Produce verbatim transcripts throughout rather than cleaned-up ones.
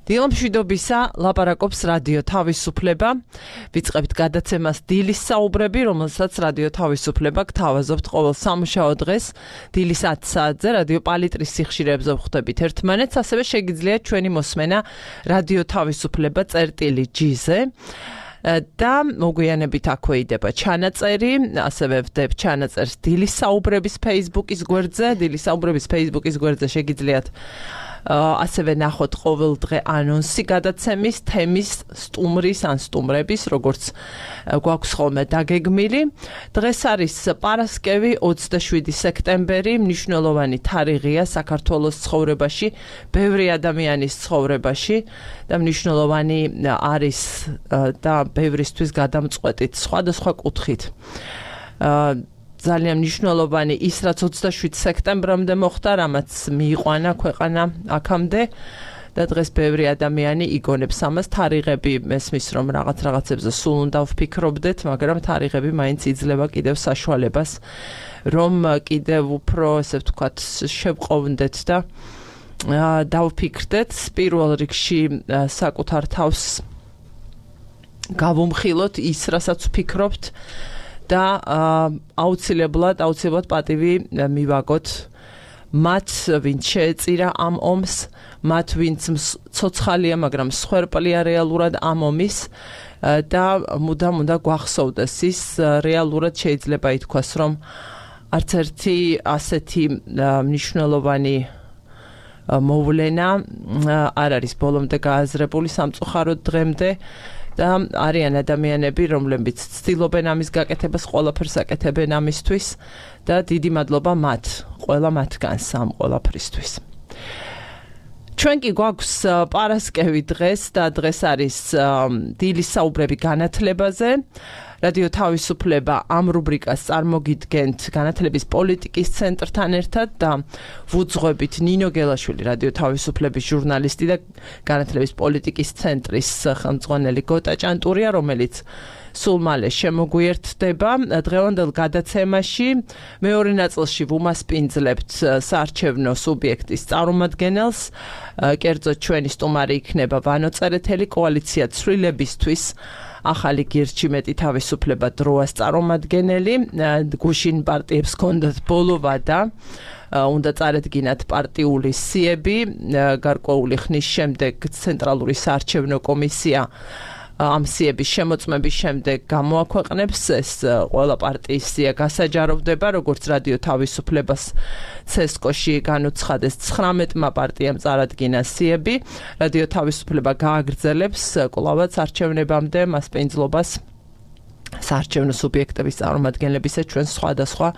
დილამშვიდობისა ლაპარაკობს რადიო თავისუფლება. ვიწყებთ გადაცემას დილის საუბრები, რომელსაც რადიო თავისუფლება გთავაზობთ ყოველ სამუშაო დღეს დილის ათი საათზე რადიო პალიტრის სიხშირეებზე ვხვდებით ერთმანეთს, ასევე შეგიძლიათ ჩვენი მოსმენა რადიო თავისუფლება წერტილი ჯი-ზე. და მოგვიანებით აქვე იდება ჩანაწერი, ასევე ვდებ ჩანაწერს დილის საუბრების Facebook-ის გვერდზე, დილის საუბრების Facebook-ის გვერდზე შეგიძლიათ ასევე ნახოთ ყოველ დღე ანონსი გადაცემის, თემის, სტუმრის ან სტუმრების, როგორც გვაქვს ხოლმე დაგეგმილი. დღეს არის პარასკევი, ოცდაშვიდი სექტემბერი, მნიშვნელოვანი თარიღია საქართველოს ცხოვრებაში, ბევრი ადამიანის ცხოვრებაში და მნიშვნელოვანი არის და ბევრისთვის გადამწყვეტით სხვადასხვა კუთხით. ძალიან მნიშვნელოვანი ის, რაც ოცდაშვიდ სექტემბრამდე მოხდა, რამაც მიიყვანა ქვეყანა აქამდე და დღეს ბევრი ადამიანი იგონებს ამას. თარიღები მესმის, რომ რაღაც რაღაცებზე სულ უნდა ვფიქრობდეთ, მაგრამ თარიღები მაინც იძლევა კიდევ საშუალებას, რომ კიდევ უფრო, ესე ვთქვათ, შევყოვდეთ და დავფიქრდეთ პირველ რიგში საკუთარ თავს გავუმხილოთ ის, რასაც ვფიქრობთ და აუცილებლად, აუცილებლად პატივი მივაგოთ მათ, ვინც შეეწირა ამ ომს, მათ, ვინც ცოცხალია, მაგრამ მსხვერპლია რეალურად ამ ომის და მუდამ უნდა გვახსოვდეს ის, რეალურად შეიძლება ითქვას, რომ არც ერთი ასეთი მნიშვნელოვანი მოვლენა არ არის ბოლომდე გააზრებული სამწუხაროდ დღემდე. და არიან ადამიანები, რომლებიც ცდილობენ ამის გაკეთებას, ყველაფერს აკეთებენ ამისთვის და დიდი მადლობა მათ, ყველა მათგანს ამ ყველაფრისთვის. ჩვენ კი გვაქვს პარასკევი დღეს და დღეს არის დილის საუბრები განათლებაზე. რადიო თავისუფლება ამ რუბრიკას წარმოგიდგენთ განათლების პოლიტიკის ცენტრთან ერთად და ვუძღვებით ნინო გელაშვილი, რადიო თავისუფლების ჟურნალისტი და განათლების პოლიტიკის ცენტრის ხელმძღვანელი გოტა ჭანტურია, რომელიც სულ მალე შემოგვიერთდება. დღევანდელ გადაცემაში მეორე ნაწილში ვუმასპინძლებთ საარჩევნო სუბიექტის წარმომადგენელს. კერძოდ ჩვენი სტუმარი იქნება ვანო წერეთელი, კოალიცია ცვლილებისთვის ახალი გირჩი მეტი თავისუფლება დროას წარმომადგენელი. გუშინ პარტიებს ჰქონდათ ბოლო ვადა, უნდა წარედგინათ პარტიული სიები. გარკვეული ხნის შემდეგ ცენტრალური საარჩევნო კომისია ამ სიების შემოწმების შემდეგ გამოაქვეყნებს. ეს ყველა პარტიის სია გასაჯაროვდება, როგორც რადიო თავისუფლებას ცესკოში განუცხადეს ცხრამეტმა პარტიამ წარადგინა სიები. რადიო თავისუფლება გააგრძელებს კვლავაც არჩევნებამდე მასპინძლობას საარჩევნო სუბიექტების წარმომადგენლებისა ჩვენ სხვადასხვა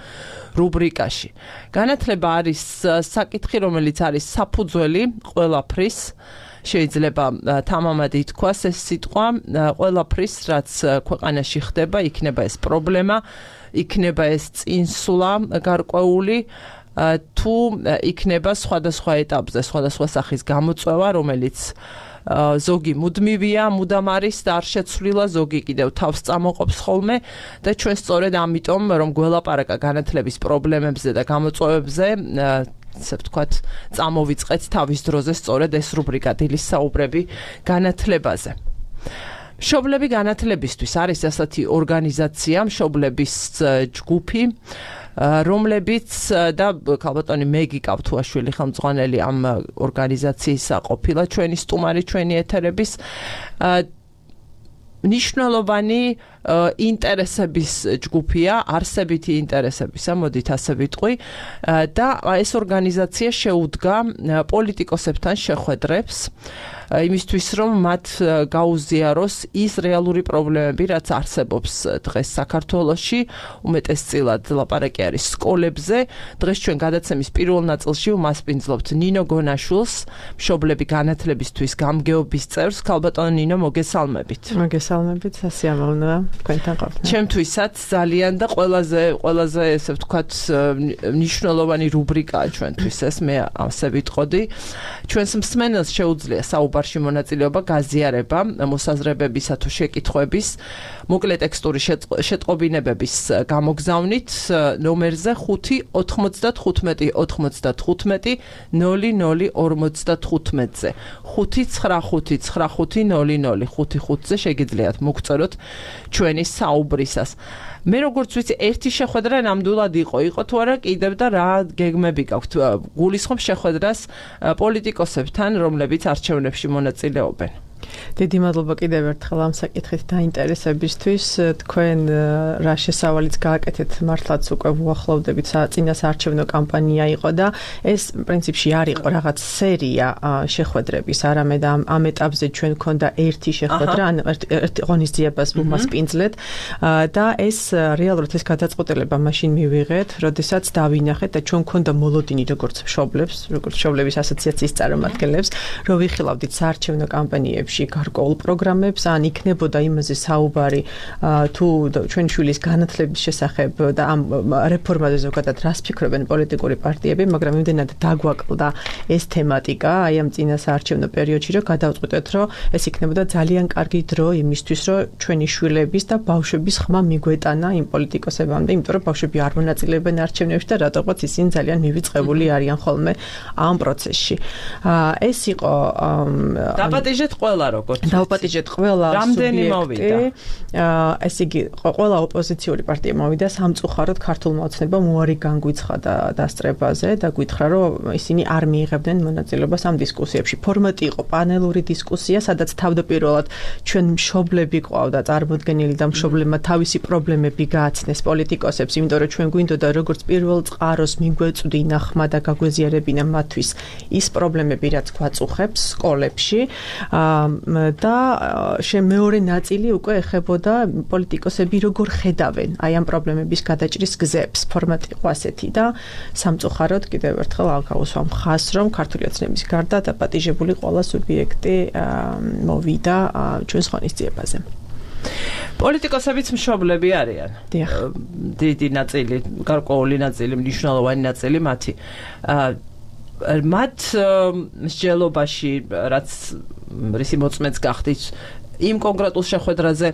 რუბრიკაში. განათლება არის საკითხი, რომელიც არის საფუძველი ყველაფრის. შეიძლება თამამად ითქვას ეს სიტყვა, ყველაფრის, რაც ქვეყანაში ხდება, იქნება ეს პრობლემა, იქნება ეს წინსვლა გარკვეული, თუ იქნება სხვადასხვა ეტაპზე, სხვადასხვა სახის გამოწვევა, რომელიც ზოგი მუდმივია, მუდამ არის და არ შეცვლილა, ზოგი კიდევ თავს წამოყოფს ხოლმე და ჩვენ სწორედ ამიტომ, რომ გველაპარაკა განათლების პრობლემებზე და გამოწვევებზე, ასე ვთქვათ, წამოვიწყეთ თავის დროზე სწორედ ეს რუბრიკა დილის საუბრები განათლებაზე. მშობლები განათლებისთვის არის ასეთი ორგანიზაცია, მშობლების ჯგუფი, რომლებიც და ქალბატონი მეგი კავთუაშვილი ხელმძღვანელი ამ ორგანიზაციისა ყოფილა ჩვენი სტუმარი, ჩვენი ეთერების მნიშვნელოვანი ინტერესების ჯგუფია, არსებითი ინტერესებისა, მოდით ასე ვიტყვი, და ეს ორგანიზაცია შეუდგა პოლიტიკოსებთან შეხვედრებს, იმისთვის, რომ მათ გაუზიაროს ის რეალური პრობლემები, რაც არსებობს დღეს საქართველოში, უმეტესწილად ლაპარაკი არის სკოლებზე. დღეს ჩვენ გადაცემის პირველ ნაწილში ვმასპინძლობთ ნინო გონაშვილს, მშობლები განათლებისთვის გამგეობის წევრს. ქალბატონო ნინო, მოგესალმებით. მოგესალმებით, სასიამოვნოა თქვენთან ყოფნა. ჩემთვისაც ძალიან და ყველაზე ყველაზე ესე ვთქვათ მნიშვნელოვანი რუბრიკაა ჩვენთვის ეს, მე ასე ვიტყოდი. ჩვენს მსმენელს შეუძლია საუბარი საუბარში მონაწილეობა, გაზიარება მოსაზრებებისა თუ შეკითხვების, მოკლე ტექსტური შეტყობინებების გამოგზავნით ნომერზე ხუთი ოთხმოცდათხუთმეტი ოთხმოცდათხუთმეტი ნული ნული ორმოცდათხუთმეტზე ხუთი ცხრა ხუთი ცხრა ხუთი ნული ნული ხუთი ხუთზე შეგიძლიათ მოგწეროთ ჩვენი საუბრისას. მე როგორც ვიცი, ერთი შეხვედრა ნამდვილად იყო, იყო თუ არა კიდევ და რა გეგმები გაქვთ? გულისხმობ შეხვედრას პოლიტიკოსებთან, რომლებიც არჩევნებში მონაწილეობენ. დიდი მადლობა კიდევ ერთხელ ამ საკითხით დაინტერესებისთვის. თქვენ რა შესავალიც გააკეთეთ, მართლაც უკვე უახლოვდებით წინასაარჩევნო კამპანია იყო და ეს პრინციპში არ იყო რაღაც სერია შეხვედრების, არამედ ამ ამ ეტაპზე ჩვენ გქონდა ერთი შეხვედრა, ან ერთი ღონისძიებას ვუმასპინძლეთ და ეს რეალურად ეს გადაწყვეტილება მაშინ მივიღეთ, როდესაც დავინახეთ და ჩვენ გქონდა მოლოდინი როგორც მშობლებს, როგორც მშობლების ასოციაციის წარმომადგენლებს, რომ ვიხილავდით საარჩევნო კამპანიებში გარკვეულ პროგრამებს, ან იქნებოდა იმაზე საუბარი თუ ჩვენი შვილის განათლების შესახებ და ამ რეფორმაზე ზოგადად რას ფიქრობენ პოლიტიკური პარტიები, მაგრამ იმდენად დაგვაკლდა ეს თემატიკა აი ამ წინასაარჩევნო პერიოდში, რომ გადავწყვიტეთ, რომ ეს იქნებოდა ძალიან კარგი დრო იმისთვის, რომ ჩვენი შვილების და ბავშვების ხმა მიგვეტანა იმ პოლიტიკოსებამდე, იმიტომ რომ ბავშვები არ მონაწილეობენ არჩევნებში და რატოღაც ისინი ძალიან მივიწყებული არიან ხოლმე ამ პროცესში. ეს იყო დაპატიჟეთ ყველა როგორც დავპატიჟეთ ყველა რამდენი მოვიდა. ესე იგი ყველა ოპოზიციური პარტია მოვიდა, სამწუხაროდ ქართულმა ოცნებამ უარი განგვიცხადა დასწრებაზე და გითხრა, რომ ისინი არ მიიღებდნენ მონაწილეობას ამ დისკუსიებში. ფორმატი იყო პანელური დისკუსია, სადაც თავდაპირველად ჩვენ მშობლები ყავდა წარმოდგენილი და მშობლებმა თავისი პრობლემები გააცნეს პოლიტიკოსებს, იმიტომ რომ ჩვენ გვინდოდა როგორც პირველ წყაროს მიგვეწვდინა ხმა და გაგვეზიარებინა მათთვის ის პრობლემები, რაც გვაწუხებს სკოლებში. და მეორე ნაწილი უკვე ეხებოდა პოლიტიკოსები როგორ ხედავენ აი ამ პრობლემების გადაჭრის გზებს. ფორმატი იყო ასეთი და სამწუხაროდ კიდევ ერთხელ გავუსვა მხას, რომ ქართული ოცნების გარდა დაპატიჟებული ყველა სუბიექტი მოვიდა ჩვენს ღონისძიებაზე. პოლიტიკოსებიც მშობლები არიან. დიდი ნაწილი, გარკვეული ნაწილი, მნიშვნელოვანი ნაწილი მათი. მათ მსჯელობაში, რაც რისი მოწმეც გახდით იმ კონკრეტულ შეხვედრაზე,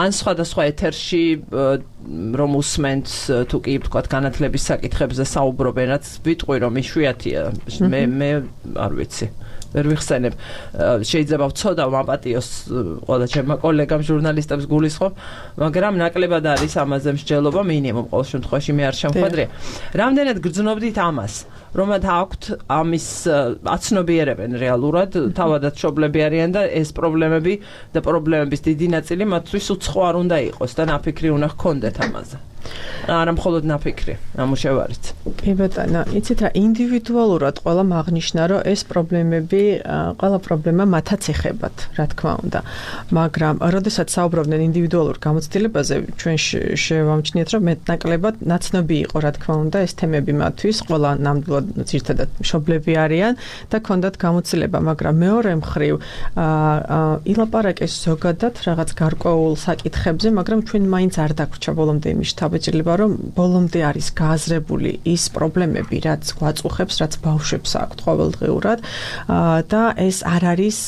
ან სხვადასხვა ეთერში რომ უსმენთ თუ კი ვთქვათ განათლების საკითხებზე საუბრობენ, რაც ვიტყვი რომ იშვიათია. მე მე არ ვიცი. ვერ ვიხსენებ. შეიძლება ვცოდავ მაპატიოს ყველა ჩემმა კოლეგამ ჟურნალისტებს გულისხმობ, მაგრამ ნაკლებად არის ამაზე მსჯელობა მინიმუმ ყოველ შემთხვევაში მე არ შემხვედრია. რამდენად გრძნობდით ამას? რომ აქვთ ამის აცნობიერებენ რეალურად, თავადაც მშობლები არიან და ეს პრობლემები და პრობლემების დიდი ნაწილი მათთვის უცხო არ უნდა იყოს და ნაფიქრი უნდა ჰქონდეთ ამაზე. არა მხოლოდ ნაფიქრი, ამუშევარით. კი ბატონო, იცით რა, ინდივიდუალურად ყველამ აღნიშნა, რომ ეს პრობლემები, ყველა პრობლემა მათაც ეხებათ, რა თქმა უნდა. მაგრამ, როდესაც საუბრობდნენ ინდივიდუალურ გამოცდილებაზე, ჩვენ შევამჩნიეთ, რომ მეტნაკლებად ნაცნობი იყო, რა თქმა უნდა, ეს თემები მათთვის, ყველა ნამდვილად ძირითადად მშობლები არიან და ქონდათ გამოცდილება, მაგრამ მეორე მხრივ ილაპარაკეს ზოგადად რაღაც გარკვეულ საკითხებზე, მაგრამ ჩვენ მაინც არ დაგვრჩა ბოლომდე იმის შთაბეჭდილება, რომ ბოლომდე არის გააზრებული ის პრობლემები, რაც გვაწუხებს, რაც ბავშვებს აქვთ ყოველდღიურად და ეს არ არის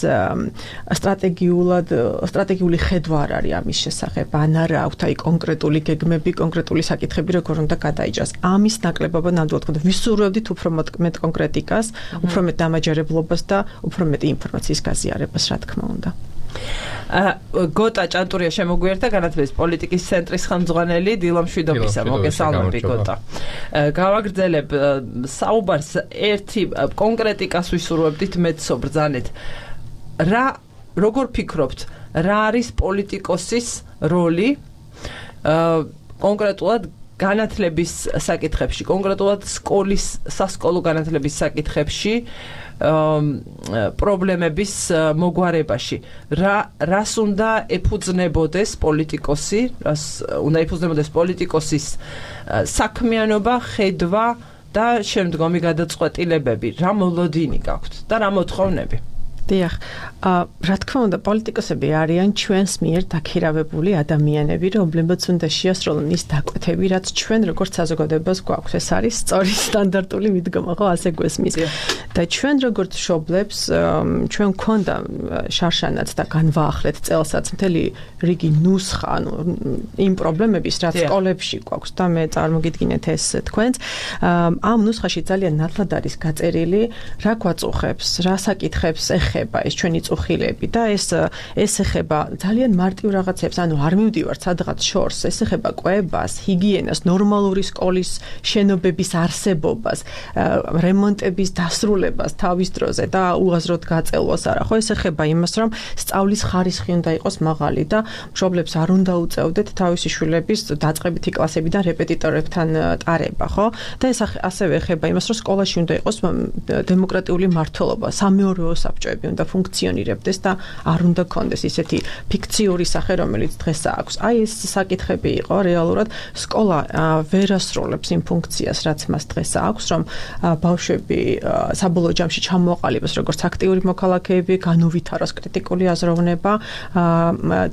სტრატეგიულად, სტრატეგიული ხედვა არ არის ამის შესახებ, ან არა აქვთ აი კონკრეტული გეგმები, კონკრეტული საკითხები, როგორ უნდა გადაიჭრას. ამის ნაკლებობა ნამდვილად გქონდა. ვისურვებდით უფრო მეტ კონკრეტიკას, უფრო მეტ დამაჯერებლობას და უფრო მეტ ინფორმაციის გაზიარებას, რა თქმა უნდა. გოტა ჭანტურია შემოგვიერთა განათლების პოლიტიკის ცენტრის ხელმძღვანელი დილა მშვიდობისა. მოგესალმები გოტა. გავაგრძელებ საუბარს, ერთი კონკრეტიკას ვისურვებდით მეცო ბრძანეთ. რა როგორ ფიქრობთ, რა არის პოლიტიკოსის როლი კონკრეტულად განათლების საკითხებში, კონკრეტულად სკოლის სასკოლო განათლების საკითხებში, პრობლემების მოგვარებაში. რა რას უნდა ეფუძნებოდეს პოლიტიკოსი, რას უნდა ეფუძნებოდეს პოლიტიკოსის საქმიანობა, ხედვა და შემდგომი გადაწყვეტილებები, რა მოლოდინი გაქვთ და რა მოთხოვნები? დიახ, რა თქმა უნდა, პოლიტიკოსები არიან ჩვენს მიერ დაქირავებული ადამიანები, რომლებიც უნდა შეასრულონ ის დაკვეთები, რაც ჩვენ როგორც საზოგადოებას გვაქვს. ეს არის სწორი სტანდარტული მიდგომა, ხო, ასე გვესმის. და ჩვენ როგორც მშობლებს, ჩვენ გვქონდა შარშანაც და განვაახლეთ წელსაც მთელი რიგი ნუსხა, ანუ იმ პრობლემების, რაც სკოლებში გვაქვს და მე წარმოგიდგინეთ ეს თქვენს. ამ ნუსხაში ძალიან ნათლად არის გაწერილი, რა გვაწუხებს, რა საკითხებს ეხება ეს ჩვენი წუხილები და ეს ეს ეხება ძალიან მარტივ რაღაცებს, ანუ არ მივდივართ სადღაც შორს, ეს ეხება კვებას, ჰიგიენას, ნორმალური სკოლის შენობების არსებობას, რემონტების დასრულებას თავის დროზე და უაზროდ გაწელვას არა. ხო, ეს ეხება იმას, რომ სწავლის ხარისხი უნდა იყოს მაღალი და მშობლებს არ უნდა უწევდეთ თავისი შვილების დაწყებითი კლასებიდან რეპეტიტორებთან ტარება, ხო? და ეს ასევე ეხება იმას, რომ სკოლაში უნდა იყოს დემოკრატიული მმართველობა, სამეურვეო საბჭოები უნდა ფუნქციონირებდეს და არ უნდა ქონდეს ისეთი ფიქციური სახე, რომელიც დღეს აქვს. აი ეს საკითხები იყო რეალურად სკოლა ვერ ასრულებს იმ ფუნქციას, რაც მას დღეს აქვს, რომ ბავშვები საბოლოო ჯამში ჩამოაყალიბოს როგორც აქტიური მოქალაქეები, განუვითაროს კრიტიკული აზროვნება,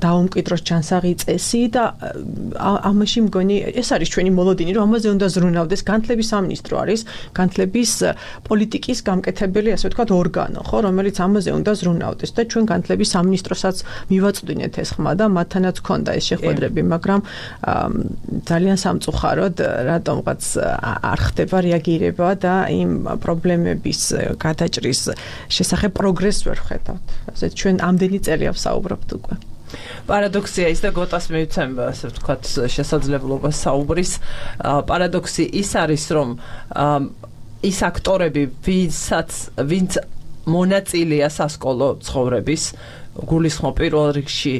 დაუმკვიდროს ჯანსაღი წესი და ამაში მგონი ეს არის ჩვენი მოლოდინი, რომ ამაზე უნდა ზრუნავდეს. განათლების სამინისტრო არის განათლების პოლიტიკის გამკეთებელი, ასე ვთქვათ, ორგანო, ხო, რომელიც ამაზე უნდა ზრუნავდეს და ჩვენ განათლების სამინისტროსაც მივაწვდინეთ ეს ხმა და მათთანაც ჰქონდა ეს შეხვედრები, მაგრამ ძალიან სამწუხაროდ რატომღაც არ ხდება რეაგირება და იმ პრობლემების გადაჭრის შესახებ პროგრესს ვერ ვხედავთ. ასე ჩვენ ამდენი წელია ვსაუბრობთ უკვე. პარადოქსია ის და გოტას მივცემ, ასე ვთქვათ, შესაძლებლობას საუბრის. პარადოქსი ის არის, რომ ის აქტორები, ვინცაც ვინც მონაწილეა სასკოლო ცხოვრების, გულისხმობ პირველ რიგში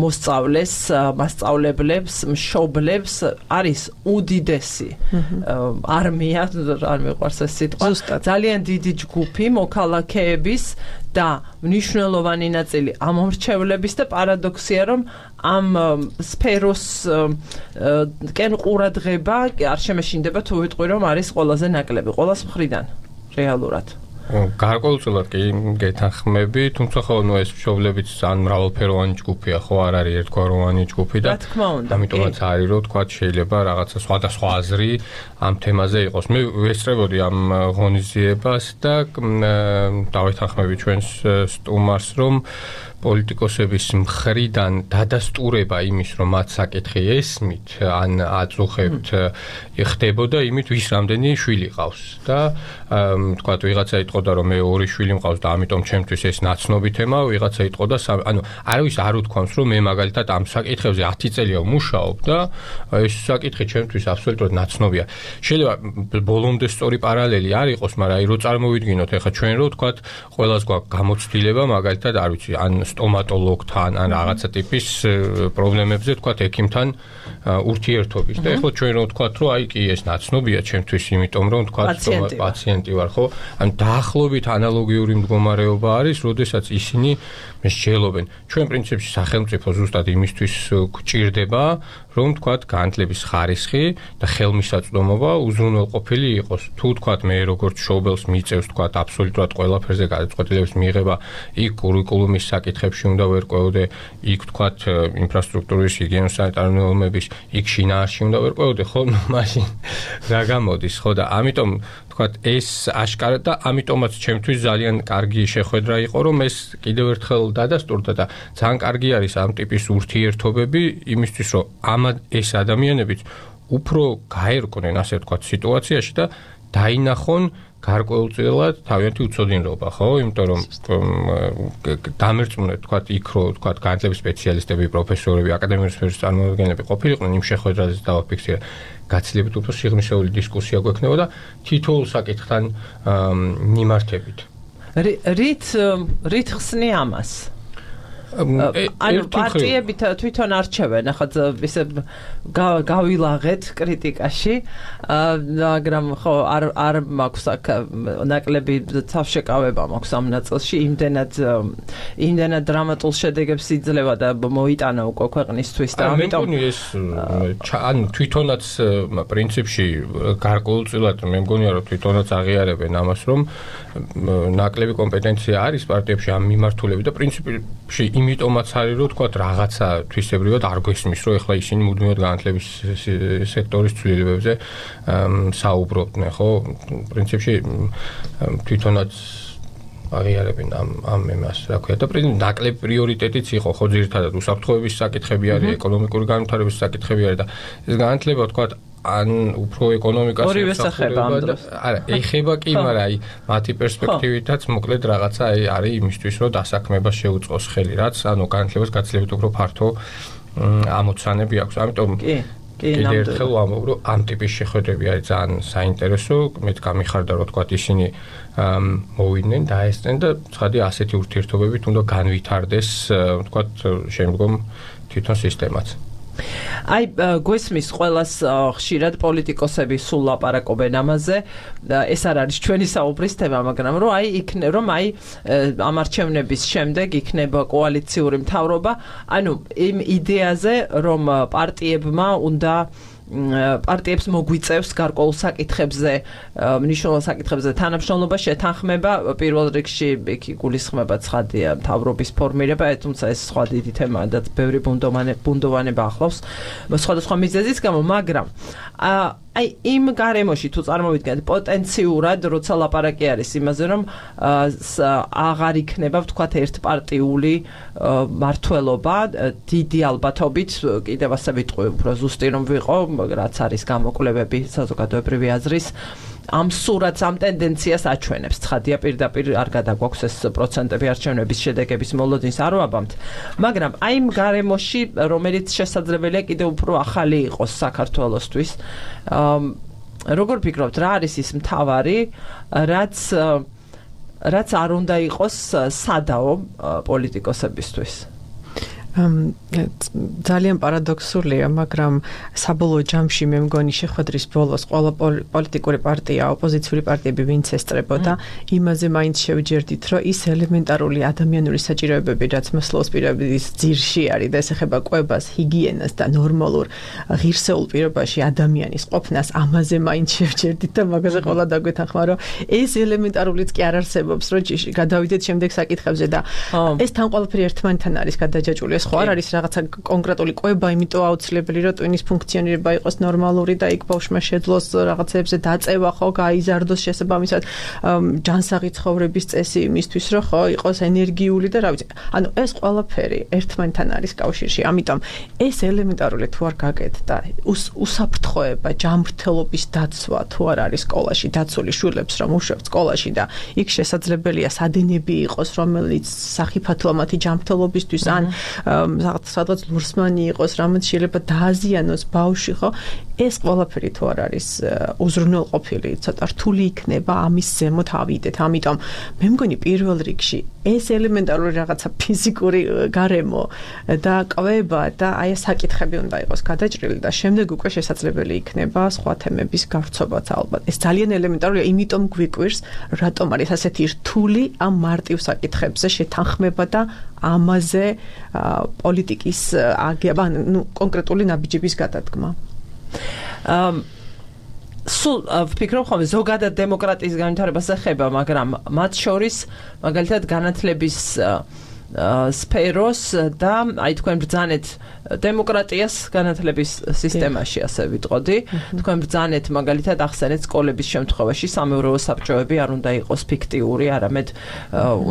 მოსწავლეს, მასწავლებლებს, მშობლებს არის უდიდესი არმია, არ მიყვარს ეს სიტყვა, ძალიან დიდი ჯგუფი მოქალაქეების და მნიშვნელოვანი ნაწილი ამომრჩევლების და პარადოქსია, რომ ამ სფეროს კენ ყურადღება არ შემეშინდება თუ ვიტყვი, რომ არის ყველაზე ნაკლები ყოველას მხრიდან რეალურად. გარკვეულწილად კი გეთანხმები, თუმცა ხო ნუ ეს მშობლებიც ძალიან მრავალფეროვანი ჯგუფია, ხო, არ არის ერთგვაროვანი ჯგუფი და ამიტომაც არის, რომ თქვა შეიძლება რაღაცა სხვადასხვა აზრი ამ თემაზე იყოს. მე ვესწრებოდი ამ ღონისძიებას და დავეთანხმები ჩვენს სტუმარს, რომ პოლიტიკოსების მხრიდან დადასტურება იმის, რომ მათ საკითხი ესმით, ან აწუხებთ, ხდებოდა იმით, ვის რამდენი შვილი ყავს და თქვათ, ვიღაცა იტყოდა, რომ მე ორი შვილი მყავს და ამიტომ ჩემთვის ეს ნაცნობი თემა, ვიღაცა იტყოდა, ანუ არავის არ უთქვამს, რომ მე მაგალითად ამ საკითხებზე ათი წელია ვმუშაობ და ეს საკითხი ჩემთვის აბსოლუტურად ნაცნობია. შეიძლება ბოლომდე სწორი პარალელი არ იყოს, მაგრამ აი რო წარმოვიდგინოთ, ეხლა ჩვენ რო თქვათ, ყველას გვაქვს გამოცდილება, მაგალითად, არ ვიცი, ან სტომატოლოგთან, ან რაღაცა ტიპის პრობლემებზე, თქვათ, ექიმთან ურთიერთობის. და ეხლა ჩვენ რო თქვათ, რომ აი კი ეს ნაცნობია ჩემთვის, იმიტომ რომ თქვათ, პაციენტი ვარ, ხო? ან დაახლოებით ანალოგიური მდგომარეობა არის, როდესაც ისინი მსჯელობენ. ჩვენ პრინციპში სახელმწიფო ზუსტად იმისთვის გვჭირდება, რომ თქვათ, განათლების ხარისხი და ხელმისაწვდომობა უზრუნველყოფილი იყოს. თუ თქვათ, მე როგორც მშობელს მიწევს, თქვათ, აბსოლუტურად ყველაფერზე გადაწყვეტილების მიღება, იქ კურიკულუმის საკითხებში უნდა ვერკვევდე, იქ თქვათ, ინფრასტრუქტურის, ჰიგიენო-სანიტარული ნორმების, იქ შინაარსში უნდა ვერკვევდე, ხო? ნუ მაშინ რა გამოდის, ხო? და ამიტომ თქვათ, ეს აშკარა და ამიტომაც ჩემთვის ძალიან კარგი შეხვედრა იყო, რომ ეს კიდევ ერთხელ დადასტურდა და ძალიან კარგი არის ამ ტიპის ურთიერთობები იმისთვის, რომ ამ ეს ადამიანებიც უფრო გაერკვნენ, ასე ვთქვათ, სიტუაციაში და დაინახონ გარკვეულწილად თავიანთი უცოდინრობა, ხო? იმიტომ რომ დამერწმუნეთ, თქვათ, იქ რო თქვათ, განათლების სპეციალისტები, პროფესორები, აკადემიური სფეროს წარმომადგენლები ყოფილიყვნენ იმ შეხვედრაზე დავაფიქსირე. გაცილებით უფრო სიღრმისეული დისკუსია გვექნება და თითოეულ საკითხთან მიმართებით. რით რით ხსნი ამას? ანუ პარტიები თვითონ არჩევენ, ახლა ისე გავილაღეთ კრიტიკაში, მაგრამ ხო არ არ მაქვს აქ ნაკლები თავშეკავება მაქვს ამ ნაწილში, იმდენად იმდენად დრამატულ შედეგებს იძლევა და მოიტანა უკვე ქვეყნისთვის და ამიტომ ეს ანუ თვითონაც პრინციპში გარკვეულწილად მე მგონია რომ თვითონაც აღიარებენ ამას რომ ნაკლები კომპეტენცია არის პარტიებში ამ მიმართულებით და პრინციპში იმიტომაც არის რომ თქვა რაღაცა თვისებრივად არ გვესმის რომ ეხლა ისინი მუდმივად განათლების სექტორის ცვლილებებზე საუბრობდნენ ხო პრინციპში თვითონაც აღიარებენ ამ ამ იმას რა ქვია და პრინციპი ნაკლები პრიორიტეტიც იყო ხო ძირითადად უსაფრთხოების საკითხები არის ეკონომიკური განვითარების საკითხები არის და ეს განათლება თქვა ან უფრო ეკონომიკას ორივე სახება ამ დროს. არა, ეხება კი, მაგრამ აი მათი პერსპექტივითაც მოკლედ რაღაცა აი არის იმისთვის, რომ დასაქმებას შეუწყოს ხელი, რაც ანუ განათლებას გაცილებით უფრო ფართო ამოცანები აქვს. ამიტომ კი, კი, კიდევ ერთხელ ვამბობ, რომ ამ ტიპის შეხვედრები არის ძალიან საინტერესო, მეც გამიხარდა რომ თქვა ისინი მოვიდნენ და ესწრნენ და ცხადი ასეთი ურთიერთობებით უნდა განვითარდეს, თქვა შემდგომ თვითონ სისტემაც. აი გვესმის ყველას ხშირად პოლიტიკოსები სულ ლაპარაკობენ ამაზე ეს არ არის ჩვენი საუბრის თემა მაგრამ რომ აი იქნება რომ აი ამ არჩევნების შემდეგ იქნება კოალიციური მთავრობა ანუ იმ იდეაზე რომ პარტიებმა უნდა პარტიებს მოგვიწევს გარკვეულ საკითხებზე მნიშვნელოვან საკითხებზე თანამშრომლობა შეთანხმება პირველ რიგში იქ გულისხმება ცხადია მთავრობის ფორმირება თუმცა ეს სხვა დიდი თემაა და ბევრი ბუნდოვანება ახლავს სხვადასხვა მიზეზის გამო მაგრამ აი იმ გარემოში თუ წარმოვიდგენთ პოტენციურად როცა ლაპარაკი არის იმაზე რომ აღარ იქნება ვთქვათ ერთპარტიული მართლობა დიდი ალბათობით კიდევ ასე ვიტყვი უფრო ზუსტი რომ ვიყო რაც არის გამოკვლევები საზოგადოებრივი აზრის ამ სურათს ამ ტენდენციას აჩვენებს ცხადია პირდაპირ არ გადაგვაქვს ეს პროცენტები არჩევნების შედეგების მოლოდინს არ ვაბამთ მაგრამ აი იმ გარემოში რომელიც შესაძლებელია კიდევ უფრო ახალი იყოს საქართველოსთვის როგორ ფიქრობთ რა არის ის მთავარი რაც რაც არ უნდა იყოს სადაო პოლიტიკოსებისთვის ძალიან პარადოქსულია, მაგრამ საბოლოო ჯამში მე მგონი შეხვედრის ბოლოს ყველა პოლიტიკური პარტია, ოპოზიციური პარტიები ვინც ესწრებოდა, იმაზე მაინც შევჯერდით, რომ ის ელემენტარული ადამიანური საჭიროებები, რაც მოსლოს პირების ძირში არის და ეს ეხება კვებას, ჰიგიენას და ნორმალურ ღირსეულ პირობაში ადამიანის ყოფნას, ამაზე მაინც შევჯერდით და მაგაზე ყველა დაგვეთანხმა, რომ ეს ელემენტარულიც კი არ არსებობს, რომ გადავიდეთ შემდეგ საკითხებზე და ეს თან ყველაფერი ერთმანეთთან არის გადაჯაჭვული ხო არ არის რაღაცა კონკრეტული კვება, იმიტომ აუცილებელი რომ ტვინის ფუნქციონირება იყოს ნორმალური და იქ ბავშვმა შეძლოს რაღაცებზე დაწევა, ხო, გაიზარდოს შესაბამისად ჯანსაღი ცხოვრების წესი იმისთვის, რომ ხო, იყოს ენერგიული და რა ვიცი. ანუ ეს ყველაფერი ერთმანეთთან არის კავშირში. ამიტომ ეს ელემენტარული თუ არ გაკეთდა და უსაფრთხოება, ჯანმრთელობის დაცვა თუ არ არის სკოლაში, დაცული შვილებს რომ უშვებთ სკოლაში და იქ შესაძლებელია სადინები იყოს, რომელიც სახიფათოა მათი ჯანმრთელობისთვის ან სადღაც ლურსმანი იყოს, რამაც შეიძლება დააზიანოს ბავშვი, ხო? ეს ყველაფერი თუ არ არის უზრუნველყოფილი, ცოტა რთული იქნება ამის ზემოთ ავიდეთ. ამიტომ მე მგონი პირველ რიგში ეს ელემენტარული რაღაცა ფიზიკური გარემო და კვება და აი ეს საკითხები უნდა იყოს გადაჭრილი და შემდეგ უკვე შესაძლებელი იქნება სხვა თემების გავრცობაც ალბათ. ეს ძალიან ელემენტარულია, იმიტომ გვიკვირს, რატომ არის ასეთი რთული ამ მარტივ საკითხებზე შეთანხმება და ამაზე პოლიტიკის აგება, ну, კონკრეტული ნაბიჯების გადადგმა. ამ სულ ვფიქრობ ხოლმე ზოგადად დემოკრატიის განვითარებას ეხება, მაგრამ მათ შორის მაგალითად განათლების სფეროს და აი თქვენ ბრძანეთ დემოკრატიას განათლების სისტემაში ასე ვიტყოდი. თქვენ ბრძანეთ მაგალითად ახსენეთ სკოლების შემთხვევაში სამეურვეო საბჭოები არ უნდა იყოს ფიქტიური, არამედ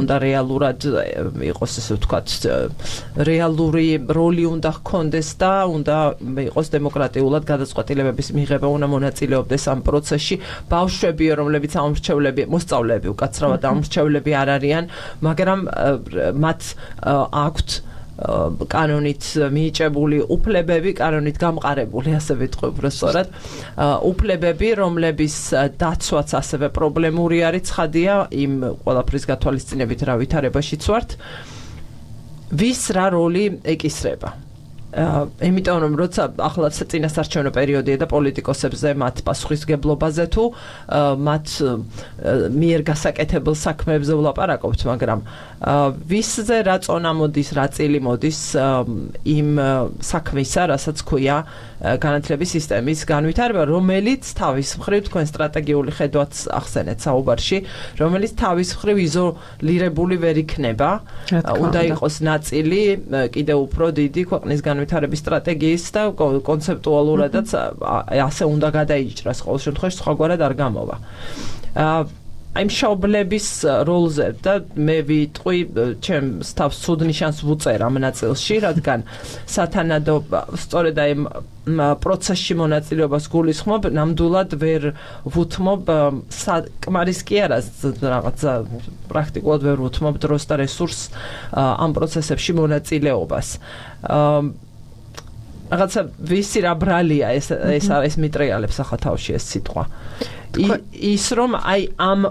უნდა რეალურად იყოს ესე ვთქვათ რეალური როლი უნდა ჰქონდეს და უნდა იყოს დემოკრატიულად გადაწყვეტილებების მიღება უნდა მონაწილეობდეს ამ პროცესში. ბავშვები, რომლებიც ამორჩევლები, მოსწავლეები უკაცრავად ამორჩევლები არ არიან, მაგრამ მათ აქვთ კანონით მიიჭებული უფლებები, კანონით გამყარებული, ასე ვიტყვი უბრალოდ, უფლებები, რომლების დაცვაც ასევე პრობლემური არის, ცხადია, იმ ყველაფრის გათვალისწინებით რა ვითარებაშიც ვართ. ვის რა როლი ეკისრება. იმიტომ რომ როცა ახლა წინასარჩევნო პერიოდია და პოლიტიკოსებზე მათ პასუხისგებლობაზე თუ მათ მიერ გასაკეთებელ საქმეებზე ვლაპარაკობთ, მაგრამ ვისზე რა წონა მოდის, რა წილი მოდის იმ საქმისა, რასაც ქვია განათლების სისტემის განვითარება, რომელიც თავის მხრივ თქვენ სტრატეგიული ხედვაც ახსენეთ საუბარში, რომელიც თავის მხრივ იზოლირებული ვერ იქნება, უნდა იყოს ნაწილი კიდევ უფრო დიდი ქვეყნის განვითარების სტრატეგიის და კონცეპტუალურადაც ასე უნდა გადაიჭრას, ყოველ შემთხვევაში სხვაგვარად არ გამოვა. აი მშობლების როლზე და მე ვიტყვი ჩემს თავს ცუდ ნიშანს ვუწერ ამ ნაწილში, რადგან სათანადო სწორედ აი პროცესში მონაწილეობას გულისხმობ, ნამდვილად ვერ ვუთმობ საკმარის კი არა რაღაცა პრაქტიკულად ვერ ვუთმობ დროს და რესურსს ამ პროცესებში მონაწილეობას. რაღაცა ვისი რა ბრალია ეს ეს ეს მიტრიალებს ახლა თავში ეს სიტყვა. ის რომ აი ამ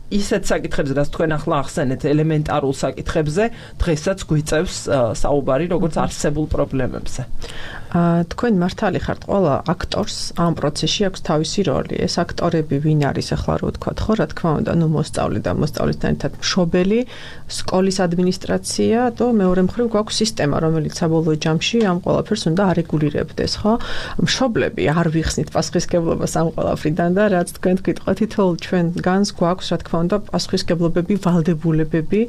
ისეთ საკითხებზე, რაც თქვენ ახლა ახსენეთ, ელემენტარულ საკითხებზე, დღესაც გვიწევს საუბარი როგორც არსებულ პრობლემებზე. თქვენ მართალი ხართ, ყველა აქტორს ამ პროცესში აქვს თავისი როლი. ეს აქტორები ვინ არის ახლა რო ვთქვათ, ხო, რა თქმა უნდა, ნუ მოსწავლე და მოსწავლესთან ერთად მშობელი, სკოლის ადმინისტრაცია და მეორე მხრივ გვაქვს სისტემა, რომელიც საბოლოო ჯამში ამ ყველაფერს უნდა არეგულირებდეს, ხო? მშობლები არ ვიხსნით პასუხისგებლობას ამ ყველაფრიდან და რაც თქვენ გიტყვით, თითოეულ ჩვენ განს გვაქვს, რა თქმა უნდა, პასუხისგებლობები, ვალდებულებები,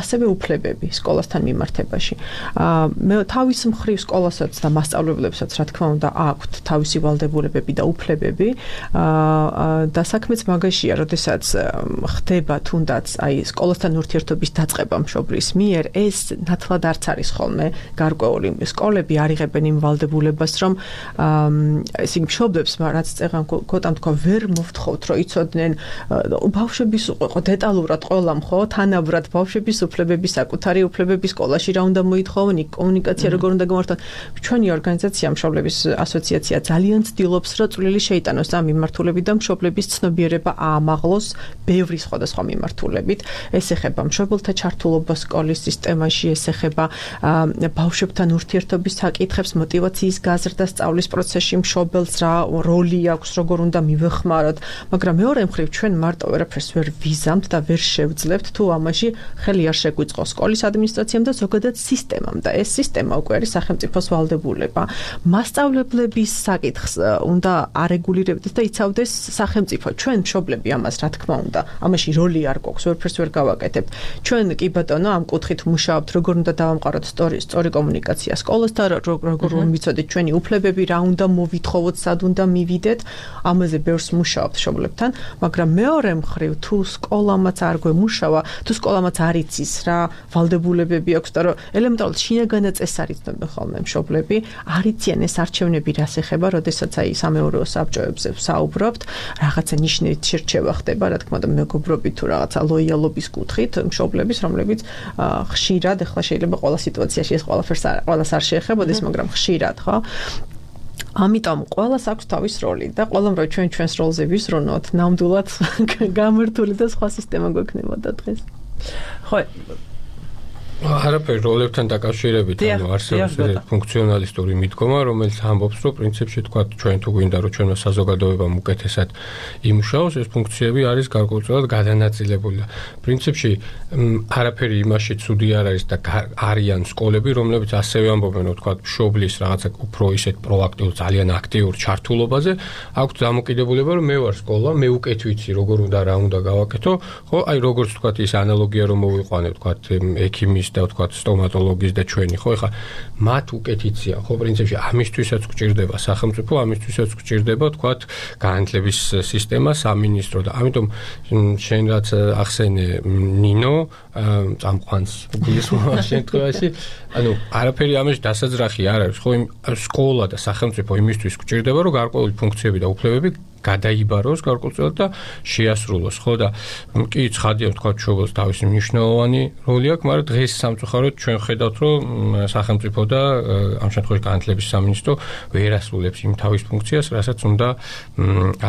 ასევე უფლებები სკოლასთან მიმართებაში. მე თავის მხრივ სკოლას და მასწავლებლებსაც რა თქმა უნდა აქვთ თავისი ვალდებულებები და უფლებები და საქმეც მაგაშია, როდესაც ხდება თუნდაც აი სკოლასთან ურთიერთობის დაწყება მშობლის მიერ, ეს ნათლად არც არის ხოლმე გარკვეული. სკოლები არიღებენ იმ ვალდებულებას, რომ ესე იგი მშობლებს რაც წეღან კოტამ თქვა ვერ მოვთხოვთ, რომ იცოდნენ ბავშვების იყო დეტალურად ყველამ, ხო, თანაბრად ბავშვების უფლებები, საკუთარი უფლებები სკოლაში რა უნდა მოითხოვონ, კომუნიკაცია როგორ უნდა გამართონ. ჩვენი ორგანიზაცია მშობლების ასოციაცია ძალიან ცდილობს, რომ წვლილი შეიტანოს ამ მიმართულებიდან მშობლების ცნობიერება აამაღლოს ბევრი სხვადასხვა მიმართულებით. ეს ეხება მშობელთა ჩართულობას სკოლის სისტემაში, ეს ეხება ბავშვებთან ურთიერთობის საკითხებს, мотиваციის გაზრდას სწავლის პროცესში მშობელს რა როლი აქვს, როგორ უნდა მივეხმაროთ, მაგრამ მეორე მხრივ ჩვენ მარტო ვერაფერს ვერ ვიზამთ და ვერ შევძლებთ თუ ამაში ხელი არ შეგვიწყოს სკოლის ადმინისტრაციამ და ზოგადად სისტემამ და ეს სისტემა უკვე არის სახელმწიფოს ვალდებულება. მასწავლებლების საკითხს უნდა არეგულირებდეს და იცავდეს სახელმწიფო. ჩვენ მშობლები ამას რა თქმა უნდა, ამაში როლი არ გვაქვს, ვერაფერს ვერ გავაკეთებთ. ჩვენ კი ბატონო ამ კუთხით მუშაობთ, როგორ უნდა დავამყაროთ სწორი სწორი კომუნიკაცია სკოლასთან, როგორ უნდა ვიცოდეთ ჩვენი უფლებები, რა უნდა მოვითხოვოთ, სად უნდა მივიდეთ. ამაზე ბევრს მუშაობთ მშობლებთან, მაგრამ მეორე მხრივ თუ სკოლამაც არ გვემუშავა, თუ სკოლამაც არ იცის რა ვალდებულებები აქვს და რომ ელემენტარულად შინაგანად წესარიცნობენ ხოლმე მშობლები, არ იციან ეს არჩევნები რას ეხება, როდესაც აი სამეურვეო საბჭოებზე ვსაუბრობთ, რაღაცა ნიშნით შერჩევა ხდება, რა თქმა უნდა, მეგობრობით თუ რაღაცა ლოიალობის კუთხით მშობლების, რომლებიც ხშირად ახლა შეიძლება ყველა სიტუაციაში ეს ყველაფერს ყველას არ შეეხებოდეს, მაგრამ ხშირად, ხო? ამიტომ ყველას აქვს თავის როლი და ყველამ რო ჩვენ ჩვენს როლზე ვისრუნოთ, ნამდვილად გამართული და სხვა სისტემა გვექნებოდა დღეს. ხო, არაფერი როლებთან დაკავშირებით, ანუ არსებობს ფუნქციონალისტური მიდგომა, რომელიც ამბობს, რომ პრინციპში თქვა ჩვენ თუ გვინდა რომ ჩვენმა საზოგადოებამ უკეთესად იმუშაოს, ეს ფუნქციები არის გარკვეულწილად გადანაწილებული. პრინციპში არაფერი იმაში ცუდი არ არის და არიან სკოლები, რომლებიც ასევე ამბობენ, რომ თქვა მშობლის რაღაცა უფრო ისეთ პროაქტიულ, ძალიან აქტიურ ჩართულობაზე, აქვს დამოკიდებულება, რომ მე ვარ სკოლა, მე უკეთ ვიცი, როგორ უნდა რა უნდა გავაკეთო, ხო, აი როგორც თქვა ის ანალოგია რომ მოვიყვანე, თქვა ექიმის და თქვა სტომატოლოგის და ჩვენი, ხო, ეხლა მათ უკეთ იციან, ხო, პრინციპში ამისთვისაც გვჭირდება სახელმწიფო, ამისთვისაც გვჭირდება, თქვა განათლების სისტემა, სამინისტრო და ამიტომ შენ რაც ახსენე ნინო წამყვანს გულისხმობა შემთხვევაში, ანუ არაფერი ამაში დასაძრახი არ არის, ხო, სკოლა და სახელმწიფო იმისთვის გვჭირდება, რომ გარკვეული ფუნქციები და უფლებები გადაიბაროს გარკვეულწილად და შეასრულოს, ხო და კი ცხადია თქვა მშობელს თავისი მნიშვნელოვანი როლი აქვს, მაგრამ დღეს სამწუხაროდ ჩვენ ხედავთ, რომ სახელმწიფო და ამ შემთხვევაში განათლების სამინისტრო ვერ ასრულებს იმ თავის ფუნქციას, რასაც უნდა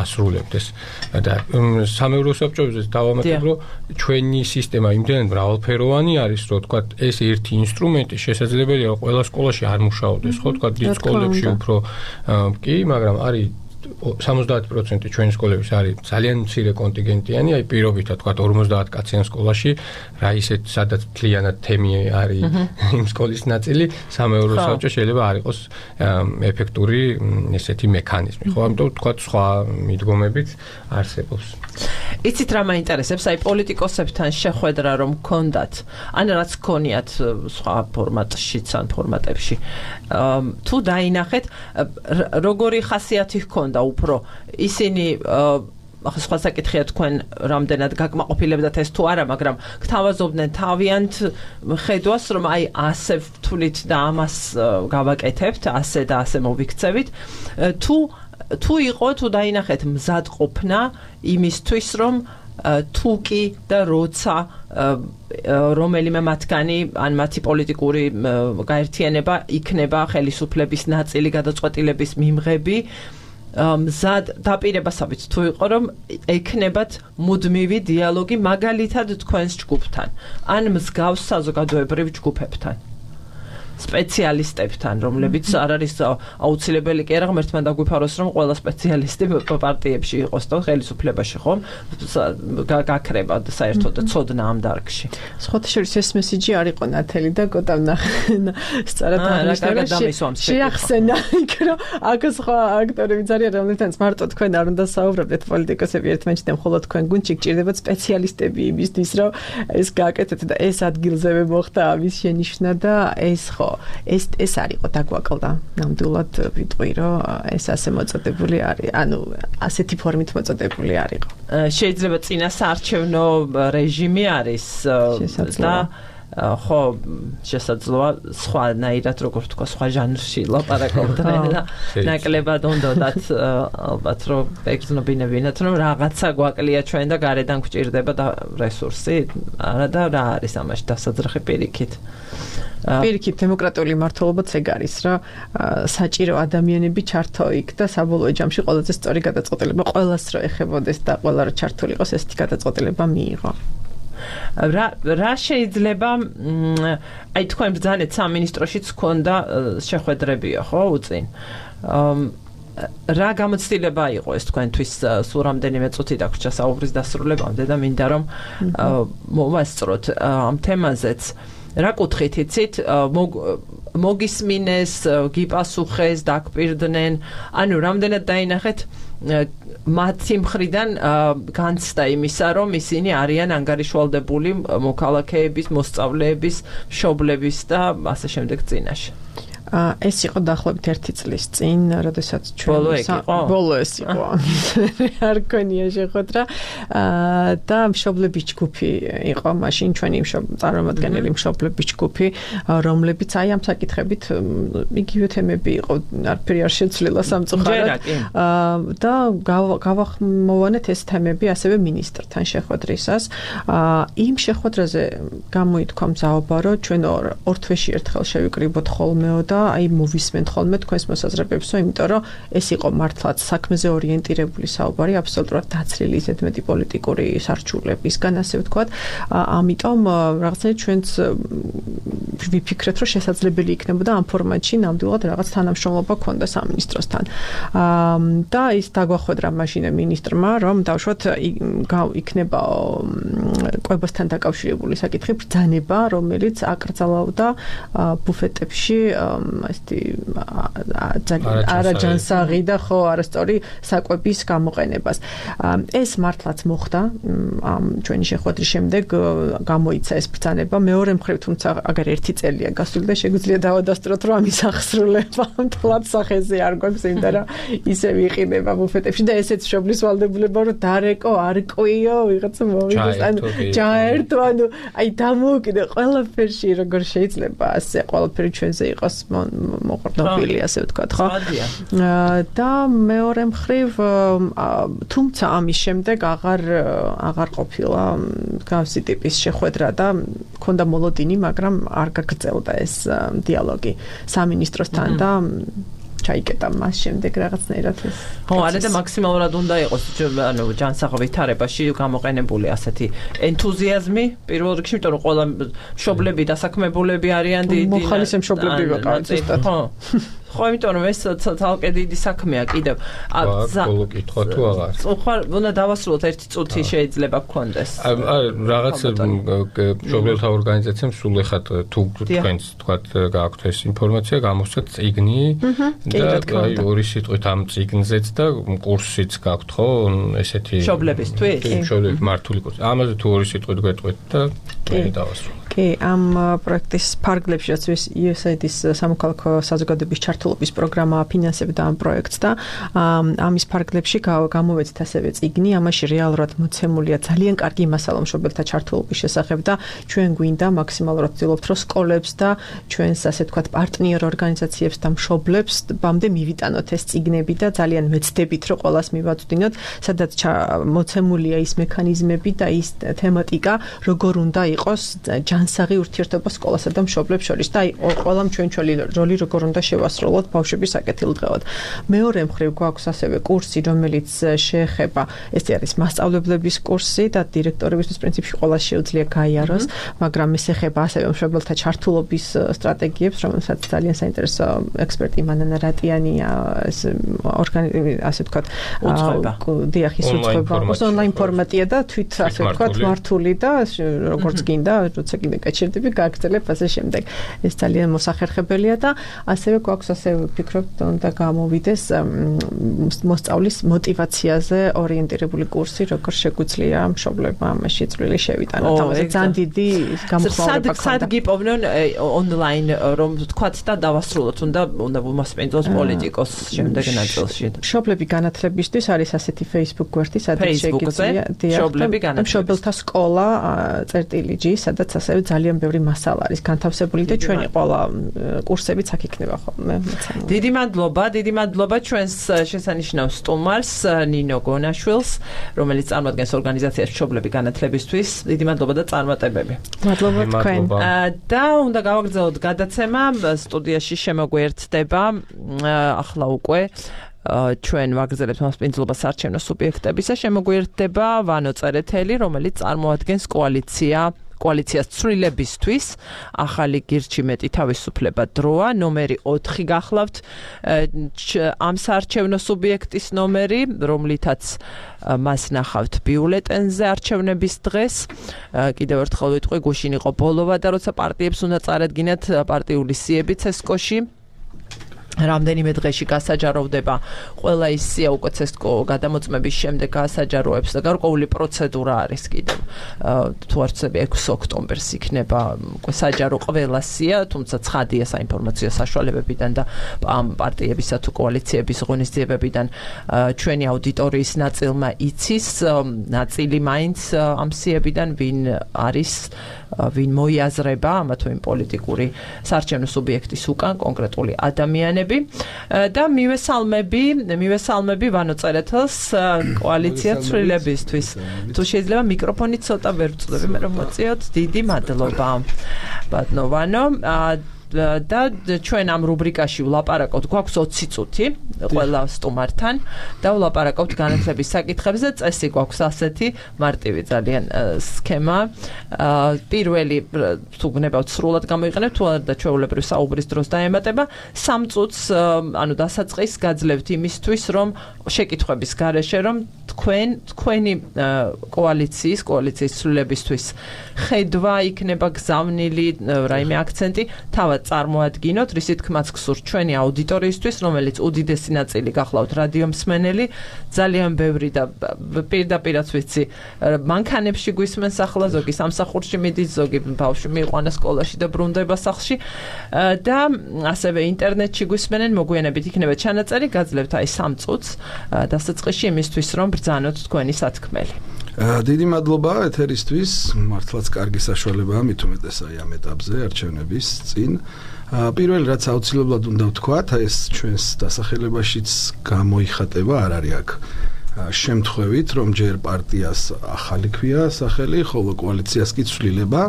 ასრულებდეს. და სამეურვეო საბჭოებზე დავამატებ, რომ ჩვენი სისტემა იმდენად მრავალფეროვანი არის, რომ თქვა ეს ერთი ინსტრუმენტი შესაძლებელია რომ ყველა სკოლაში არ მუშაობდეს, ხო თქვა დიდ სკოლებში უფრო კი, მაგრამ არის სამოცდაათი პროცენტი ჩვენი სკოლების არის ძალიან მცირე კონტინგენტიანი, აი პირობითად თქვა ორმოცდაათი კაციან სკოლაში, რა ისეთ სადაც მთლიანად თემი არის იმ სკოლის ნაწილი, სამეურვეო საბჭო შეიძლება არ იყოს ეფექტური ესეთი მექანიზმი, ხო? ამიტომ თქვა სხვა მიდგომებით არსებობს. იცით რა მაინტერესებს, აი პოლიტიკოსებთან შეხვედრა რომ გქონდათ, ან რაც გქონიათ სხვა ფორმატშიც ან ფორმატებში. თუ დაინახეთ, როგორი ხასიათი ჰქონდა უფრო ისინი ახლა სხვა საკითხია თქვენ რამდენად გაკმაყოფილებდათ ეს თუ არა, მაგრამ გთავაზობდნენ თავიანთ ხედვას, რომ აი ასე ვთვლით და ამას გავაკეთებთ, ასე და ასე მოვიქცევით, თუ თუ იყო თუ დაინახეთ მზადყოფნა იმისთვის, რომ თუკი და როცა რომელიმე მათგანი ან მათი პოლიტიკური გაერთიანება იქნება ხელისუფლების ნაწილი გადაწყვეტილების მიმღები, მზად დაპირებასავით თუ იყო, რომ ექნებათ მუდმივი დიალოგი მაგალითად თქვენს ჯგუფთან ან მსგავს საზოგადოებრივ ჯგუფებთან. სპეციალისტებთან, რომლებიც არ არის აუცილებელი კი არა, ღმერთმა დაგვიფაროს, რომ ყველა სპეციალისტი პარტიებში იყოს და ხელისუფლებაში ხომ გაქრება საერთოდ ცოდნა ამ დარგში. სხვათა შორის ეს მესიჯი არ იყო ნათელი და გოტამ სწორად აღნიშნა, შეახსენა იქ, რომ აქ სხვა აქტორები ძალიან რომლებთანაც მარტო თქვენ არ უნდა საუბრობდეთ პოლიტიკოსები ერთმანეთში და მხოლოდ თქვენ გუნდში გჭირდებათ სპეციალისტები იმისთვის, რომ ეს გააკეთეთ და ეს ადგილზევე მოხდა ამის შენიშვნა და ეს ხო ეს ეს არისო დაგვაკლდა ნამდვილად ვიტყვი რომ ეს ასე მოწოდებული არის, ანუ ასეთი ფორმით მოწოდებული არისო. შეიძლება წინასაარჩევნო რეჟიმი არის და ხო შესაძლოა სხვანაირად როგორ თქვა სხვა ჟანრში ლაპარაკობდნენ და ნაკლებად უნდათ ალბათ რომ ეგზნობინებინათ რომ რაღაცა გვაკლია ჩვენ და გარედან გვჭირდება და რესურსი არა და რა არის ამაში დასაძრახი პირიქით. პირიქით დემოკრატიული მართლობაც ეგ არის რა საჭირო ადამიანები ჩართო იქ და საბოლოო ჯამში ყველაზე სწორი გადაწყვეტილება ყველას რო ეხებოდეს და ყველა რო ჩართული იყოს ესეთი გადაწყვეტილება მიიღო. რა რა შეიძლება აი თქვენ ბრძანეთ სამინისტროშიც გქონდა შეხვედრებია ხო უწინ რა გამოცდილება იყო ეს თქვენთვის სულ რამდენიმე წუთი დაგვრჩა საუბრის დასრულებამდე და მინდა რომ მოვასწროთ ამ თემაზეც რა კუთხით იცით მოგისმინეს გიპასუხეს დაგპირდნენ ანუ რამდენად დაინახეთ მათი მხრიდან განცდა იმისა, რომ ისინი არიან ანგარიშვალდებული მოქალაქეების, მოსწავლეების, მშობლების და ასე შემდეგ წინაშე. ეს იყო დაახლოებით ერთი წლის წინ, როდესაც ჩვენ ბოლო ეს იყო. არ გქონია შეხვედრა და მშობლების ჯგუფი იყო მაშინ ჩვენი წარმომადგენელი მშობლების ჯგუფი, რომლებიც აი ამ საკითხებით იგივე თემები იყო, არაფერი არ შეცვლილა სამწუხაროდ და გავახმოვანეთ ეს თემები ასევე მინისტრთან შეხვედრისას. იმ შეხვედრაზე გამოითქვა მზაობა, რომ ჩვენ ორ თვეში ერთხელ შევიკრიბოთ ხოლმეო და აი მოვისმენთ ხოლმე თქვენს მოსაზრებებსო, იმიტომ რომ ეს იყო მართლაც საქმეზე ორიენტირებული საუბარი, აბსოლუტურად დაცლილი ისეთ მეტი პოლიტიკური სარჩულებისგან, ასე ვთქვათ. ამიტომ რაღაცნაირად ჩვენც ვიფიქრეთ, რომ შესაძლებელი იქნებოდა ამ ფორმატში ნამდვილად რაღაც თანამშრომლობა ქონდა სამინისტროსთან. და ის დაგვახვედრა მაშინ მინისტრმა, რომ დავუშვათ იქნება კვებასთან დაკავშირებული საკითხი ბრძანება, რომელიც აკრძალავდა ბუფეტებში ასეთი არაჯანსაღი და ხო არასწორი საკვების გამოყენებას. ეს მართლაც მოხდა ამ ჩვენი შეხვედრის შემდეგ გამოიცა ეს ბრძანება. მეორე მხრივ თუმცა აგარ ერთი წელია გასული და შეგვიძლია დავადასტუროთ რომ ამის აღსრულება მთლად სახეზე არ გვაქვს, იმიტომ რომ ისე ვიყიდება ბუფეტებში და ესეც მშობლის ვალდებულება რომ დარეკო, არკვიო, ვიღაცა მოვიდეს, ანუ ჯაერთო, ანუ აი დამოუკიდე ყველაფერში როგორ შეიძლება ასე ყველაფერი ჩვენზე იყოს მოყრდნობილი, ასე ვთქვათ, ხო? და მეორე მხრივ, თუმცა ამის შემდეგ აღარ აღარ ყოფილა გავსი ტიპის შეხვედრა და ქონდა მოლოდინი, მაგრამ არ გაგრძელდა ეს დიალოგი სამინისტროსთან და ჩაიკეტა მას შემდეგ რაღაცნაირად ეს. ხო, არა და მაქსიმალურად უნდა იყოს ანუ ჯანსაღვითარებაში გამოყენებული ასეთი ენთუზიაზმი პირველ რიგში, იმიტომ რომ ყველა მშობლები დასაქმებულები არიან დიდი მოხალისე მშობლები ვიყავით ზუსტად. ხო. ხო, იმიტომ რომ ეს თალკე დიდი საქმეა კიდევ. ბოლო კითხვა თუ აღარ. ხო, უნდა დავასრულოთ ერთი წუთი შეიძლება გქონდეს. რაღაც მშობლებთა ორგანიზაციამ სულ ეხად თუ თქვენს თქვათ გააქვთ ეს ინფორმაცია, გამოსცეთ წიგნი და აი ორი სიტყვით ამ წიგნზეც და კურსიც გაქვთ ხო ესეთი მშობლებისთვის? მშობლების მართული კურსი. ამაზე თუ ორი სიტყვით გეტყვით და მე დავასრულოთ. კი, ამ პროექტის ფარგლებში რაც იუ ეს აი დი-ის სამოქალაქო საზოგადოების ჩართულობის პროგრამა აფინანსებდა ამ პროექტს და ამის ფარგლებში გამოვეცით ასევე წიგნი, ამაში რეალურად მოცემულია ძალიან კარგი მასალა მშობელთა ჩართულობის შესახებ და ჩვენ გვინდა მაქსიმალურად ვცდილობთ, რომ სკოლებს და ჩვენს ასე ვთქვათ პარტნიორ ორგანიზაციებს და მშობლებს ბამდე მივიტანოთ ეს წიგნები და ძალიან ვეცდებით, რომ ყველას მივაწვდინოთ, სადაც მოცემულია ის მექანიზმები და ის თემატიკა, როგორ უნდა იყოს ჯანსაღი ურთიერთობა სკოლასა და მშობლებს შორის და აი ყველამ ჩვენჩველი როლი როგორ უნდა შევასრულოთ ბავშვების საკეთილდღეოდ. მეორე მხრივ გვაქვს ასევე კურსი, რომელიც შეეხება, ეს არის მასწავლებლების კურსი და დირექტორებისთვის პრინციპში ყველა შეუძლია გაიაროს, მაგრამ ეს ეხება ასევე მშობელთა ჩართულობის სტრატეგიებს, რომელსაც ძალიან საინტერესო ექსპერტი მანანა რატიანია ეს ორგანიზაცია, ასე ვთქვათ, დიახ, ის უცხოება, ონლაინ ფორმატია და თვით ასე ვთქვათ, მართული და როგორც გინდა, როცა გინდა გაჩერდები, გააგრძელებ ასე შემდეგ. ეს ძალიან მოსახერხებელია და ასევე გვაქვს ასე ვფიქრობ, უნდა გამოვიდეს მოსწავლის мотиваციაზე ორიენტირებული კურსი, როგორ შეგვიძლია მშობლებმა ამაში წვლილი შევიტანოთ. ამაზე ძალიან დიდი გამოხმაურება ქონდა. სად გიპოვნონ ონლაინ რომ ვთქვათ და დავასრულოთ, უნდა უნდა ვმასპინძლოს პოლიტიკოს შემდეგ ნაწილში. მშობლები განათლებისთვის არის ასეთი Facebook გვერდი, სადაც შეგიძლია მშობელთა სკოლა წერტილი ჯი, სადაც ასევე ძალიან ბევრი მასალა არის განთავსებული და ჩვენი ყველა კურსებიც აქ იქნება ხოლმე. დიდი მადლობა, დიდი მადლობა ჩვენს შესანიშნავ სტუმარს ნინო გონაშვილს, რომელიც წარმოადგენს ორგანიზაციას მშობლები განათლებისთვის. დიდი მადლობა და წარმატებები. მადლობა თქვენ. და უნდა გავაგრძელოთ გადაცემა, სტუდიაში შემოგვიერთდება ახლა უკვე ჩვენ ვაგრძელებთ მასპინძლობას არჩევნო სუბიექტებისა, შემოგვიერთდება ვანო წერეთელი, რომელიც წარმოადგენს კოალიცია კოალიციას ცვლილებისთვის, ახალი გირჩი მეტი თავისუფლება დროა, ნომერი ოთხი გახლავთ ამ საარჩევნო სუბიექტის ნომერი, რომლითაც მას ნახავთ ბიულეტენზე არჩევნების დღეს. კიდევ ერთხელ ვიტყვი, გუშინ იყო ბოლოვა და როცა პარტიებს უნდა წარადგინათ პარტიული სიები ცესკოში. რამდენიმე დღეში გასაჯაროვდება ყველა ის სია უკვე ცესკო გადამოწმების შემდეგ გასაჯაროებს და გარკვეული პროცედურა არის კიდევ. თუ არ ვცდები ექვსი ოქტომბერს იქნება უკვე საჯარო ყველა სია, თუმცა ცხადია საინფორმაციო საშუალებებიდან და პარტიებისა თუ კოალიციების ღონისძიებებიდან ჩვენი აუდიტორიის ნაწილმა იცის, ნაწილი მაინც ამ სიებიდან ვინ არის, ვინ მოიაზრება ამა თუ იმ პოლიტიკური საარჩევნო სუბიექტის უკან კონკრეტული ადამიანები. და მივესალმები, მივესალმები ვანო წერეთელს კოალიცია ცვლილებისთვის. თუ შეიძლება მიკროფონი ცოტა ვერ ვწდები, მე რომ მოწიოთ, დიდი მადლობა. ბატონო ვანო, და ჩვენ ამ რუბრიკაში ვლაპარაკობთ, გვაქვს ოცი წუთი ყველა სტუმართან და ვლაპარაკობთ განათლების საკითხებზე. წესი გვაქვს ასეთი მარტივი ძალიან სქემა. პირველი თუ გნებავთ სრულად გამოიყენებთ, თუ არა და ჩვეულებრივ საუბრის დროს დაემატება. სამ წუთს ანუ დასაწყის გაძლევთ იმისთვის, რომ შეკითხვების გარეშე რომ თქვენ თქვენი კოალიციის კოალიციის ცვლილებისთვის ხედვა იქნება გზავნილი რაიმე აქცენტი თავად წარმოადგინოთ, რის თქმაც გსურთ ჩვენი აუდიტორიისთვის, რომელიც უდიდესი ნაწილი გახლავთ რადიო მსმენელი, ძალიან ბევრი და პირდაპირაც ვიცი, მანქანებში გვისმენს ახლა, ზოგი სამსახურში მიდის, ზოგი ბავშვი მიიყვანა სკოლაში და ბრუნდება სახლში და ასევე ინტერნეტში გვისმენენ, მოგვიანებით იქნება ჩანაწერი, გაძლევთ აი სამ წუთს დასაწყისში იმისთვის, რომ ბრძანოთ თქვენი სათქმელი. დიდი მადლობა ეთერისთვის, მართლაც კარგი საშუალებაა, მით უმეტეს აი ამ ეტაპზე არჩევნების წინ. პირველი რაც აუცილებლად უნდა ვთქვათ, ეს ჩვენს დასახელებაშიც გამოიხატება, არ არის აქ შემთხვევით, რომ ჯერ პარტიას ახალი ქვია სახელი, ხოლო კოალიციას კი ცვლილება.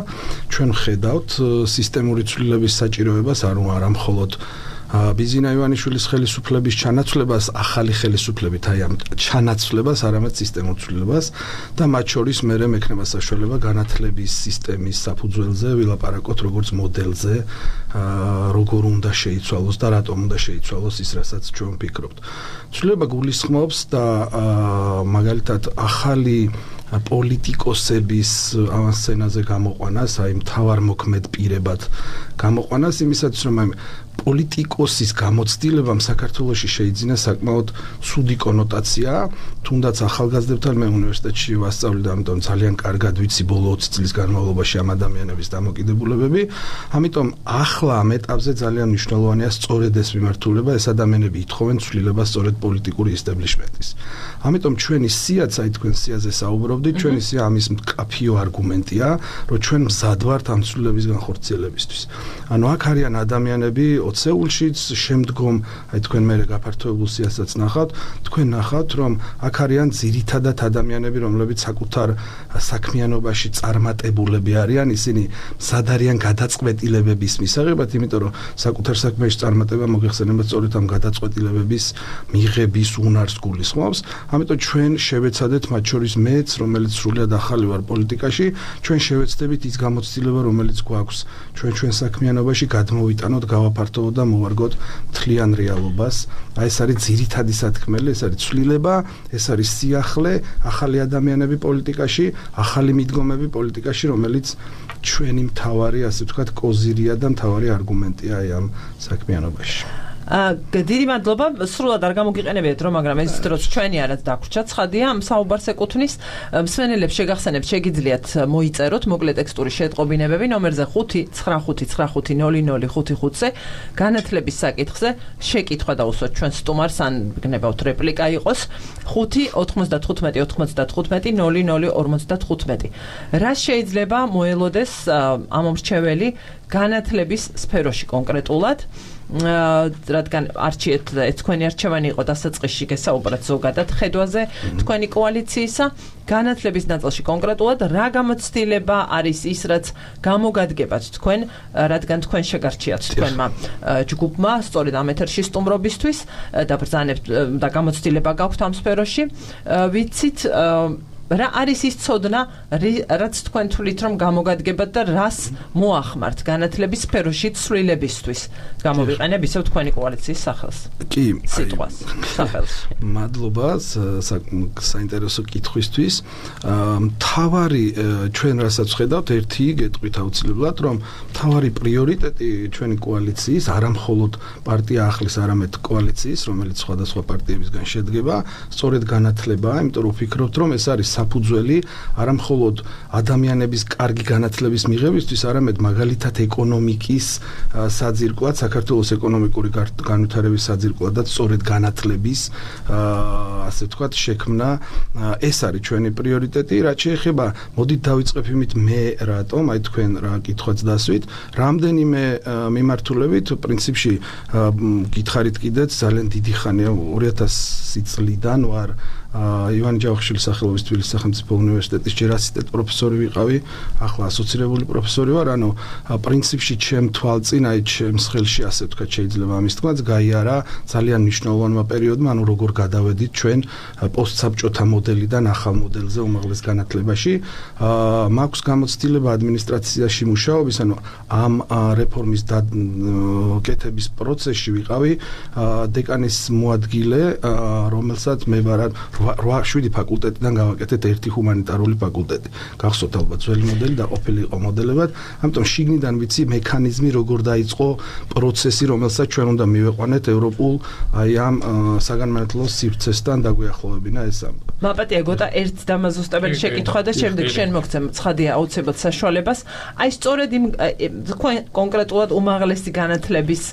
ჩვენ ვხედავთ სისტემური ცვლილების საჭიროებას, არა მხოლოდ ბიზინა ივანიშვილის ხელისუფლების ჩანაცვლებას, ახალი ხელისუფლებით, აი ამ ჩანაცვლებას, არამედ სისტემურ ცვლილებას და მათ შორის მერე მექნება საშუალება განათლების სისტემის საფუძველზე ვილაპარაკოთ როგორც მოდელზე, როგორ უნდა შეიცვალოს და რატომ უნდა შეიცვალოს ის, რასაც ჩვენ ვფიქრობთ. ცვლილება გულისხმობს და მაგალითად ახალი პოლიტიკოსების ავანსცენაზე გამოყვანას, აი მთავარ მოქმედ პირებად გამოყვანას იმისათვის, რომ აი პოლიტიკოსის გამოცდილებამ საქართველოში შეიძინა საკმაოდ ცუდი კონოტაცია, თუნდაც ახალგაზრდებთან მე უნივერსიტეტში ვასწავლე და ამიტომ ძალიან კარგად ვიცი ბოლო ოცი წლის განმავლობაში ამ ადამიანების დამოკიდებულებები. ამიტომ ახლა ამ ეტაპზე ძალიან მნიშვნელოვანია სწორედ ეს მიმართულება, ეს ადამიანები ითხოვენ ცვლილებას სწორედ პოლიტიკური ისტებლიშმენტის. ამიტომ ჩვენი სიაც, აი თქვენ სიაზე საუბრობდით, ჩვენი სია ამის მკაფიო არგუმენტია, რომ ჩვენ მზად ვართ ამ ცვლილების განხორციელებისთვის. ანუ აქ არიან ადამიანები ოცეულშიც, შემდგომ აი თქვენ მე გაფართოებულ სიასაც ნახავთ, თქვენ ნახავთ, რომ აქ არიან ძირითადად ადამიანები, რომლებიც საკუთარ საქმიანობაში წარმატებულები არიან, ისინი მზად არიან გადაწყვეტილებების მისაღებად, იმიტომ რომ საკუთარ საქმეში წარმატება მოგეხსენებათ სწორედ ამ გადაწყვეტილებების მიღების უნარს გულისხმობს. ამიტომ ჩვენ შევეცადეთ მათ შორის მეც, რომელიც სრულად ახალი ვარ პოლიტიკაში, ჩვენ შევეცდებით ის გამოცდილება, რომელიც გვაქვს ჩვენ ჩვენ საქმიანობაში გადმოვიტანოთ, გავაფართოვოთ და მოვარგოთ მთლიან რეალობას. აი ეს არის ძირითადი სათქმელი, ეს არის ცვლილება, ეს არის სიახლე, ახალი ადამიანები პოლიტიკაში, ახალი მიდგომები პოლიტიკაში, რომელიც ჩვენი მთავარი, ასე ვთქვათ, კოზირია და მთავარი არგუმენტია აი ამ საქმიანობაში. დიდი მადლობა, სრულად არ გამოგიყენებიათ რომ, მაგრამ ეს დროს ჩვენი არაც დაგვრჩა, ცხადია, ამ საუბარს ეკუთვნის. მსმენელებს შეგახსენებთ, შეგიძლიათ მოიწეროთ მოკლე ტექსტური შეტყობინებები ნომერზე ხუთი ცხრა ხუთი ცხრა ხუთი ნული ნული ხუთი ხუთზე, განათლების საკითხზე, შეკითხვა დაუსვათ ჩვენ სტუმარს, ან გნებავთ რეპლიკა იყოს, ხუთი ოთხმოცდათხუთმეტი ოთხმოცდათხუთმეტი ნული ნული ორმოცდათხუთმეტი. რა შეიძლება მოელოდეს ამომრჩეველი განათლების სფეროში კონკრეტულად? რადგან არჩიეთ თქვენი არჩევანი იყო დასაწყისში გესაუბრათ ზოგადად ხედვაზე თქვენი კოალიციისა, განათლების ნაწილში კონკრეტულად რა გამოცდილება არის ის, რაც გამოგადგებათ თქვენ, რადგან თქვენ შეგარჩიათ თქვენმა ჯგუფმა სწორედ ამ ეთერში სტუმრობისთვის და ბრძანებთ და გამოცდილება გაქვთ ამ სფეროში, ვიცით რა არის ის ცოდნა, რაც თქვენ თვლით რომ გამოგადგებათ და რას მოახმართ განათლების სფეროში ცვლილებისთვის? გამოვიყენებ ისევ თქვენი კოალიციის სახელს. კი, სიტყვას, სახელს. მადლობა საინტერესო კითხვისთვის. მთავარი ჩვენ რასაც ხედავთ, ერთი გეტყვით აუცილებლად, რომ მთავარი პრიორიტეტი ჩვენი კოალიციის, არა მხოლოდ პარტია ახლის, არამედ კოალიციის, რომელიც სხვადასხვა პარტიებისგან შედგება, სწორედ განათლებაა, იმიტომ რომ ვფიქრობთ, რომ ეს არის საფუძველი არა მხოლოდ ადამიანების კარგი განათლების მიღებისთვის, არამედ მაგალითად ეკონომიკის საძირკვლად, საქართველოს ეკონომიკური განვითარების საძირკვლად და სწორედ განათლების, ასე ვთქვათ, შექმნა, ეს არის ჩვენი პრიორიტეტი. რაც შეეხება, მოდით დავიწყებ იმით მე რატომ, აი თქვენ რა კითხვაც დასვით, რამდენიმე მიმართულებით, პრინციპში გითხარით კიდეც ძალიან დიდი ხანია, ორი ათასი წლიდან ვარ ივანე ჯავახიშვილის სახელობის თბილისის სახელმწიფო უნივერსიტეტის ჯერ ასისტენტ პროფესორი ვიყავი, ახლა ასოცირებული პროფესორი ვარ, ანუ პრინციპში ჩემ თვალწინ, აი ჩემს ხელში ასე ვთქვათ, შეიძლება ამის თქმაც გაიარა ძალიან მნიშვნელოვანმა პერიოდმა, ანუ როგორ გადავედით ჩვენ პოსტსაბჭოთა მოდელიდან ახალ მოდელზე უმაღლეს განათლებაში. მაქვს გამოცდილება ადმინისტრაციაში მუშაობის, ანუ ამ რეფორმის კეთების პროცესში ვიყავი დეკანის მოადგილე, რომელსაც მე ვარ შვიდი ფაკულტეტიდან გავაკეთეთ ერთი ჰუმანიტარული ფაკულტეტი. გახსოვთ ალბათ ძველი მოდელი და ყოფილი იყო მოდელებად. ამიტომ შიგნიდან ვიცი მექანიზმი როგორ დაიწყო პროცესი, რომელსაც ჩვენ უნდა მივეყვანეთ ევროპულ აი ამ საგანმანათლებლო სივრცესთან დაგვიახლოვებინა ეს ამბავი. მაპატია გოტა ერთ დამაზუსტებელი შეკითხვა და შემდეგ შენ მოგცემ ცხადია აუცილებლად საშუალებას. აი სწორედ იმ კონკრეტულად უმაღლესი განათლების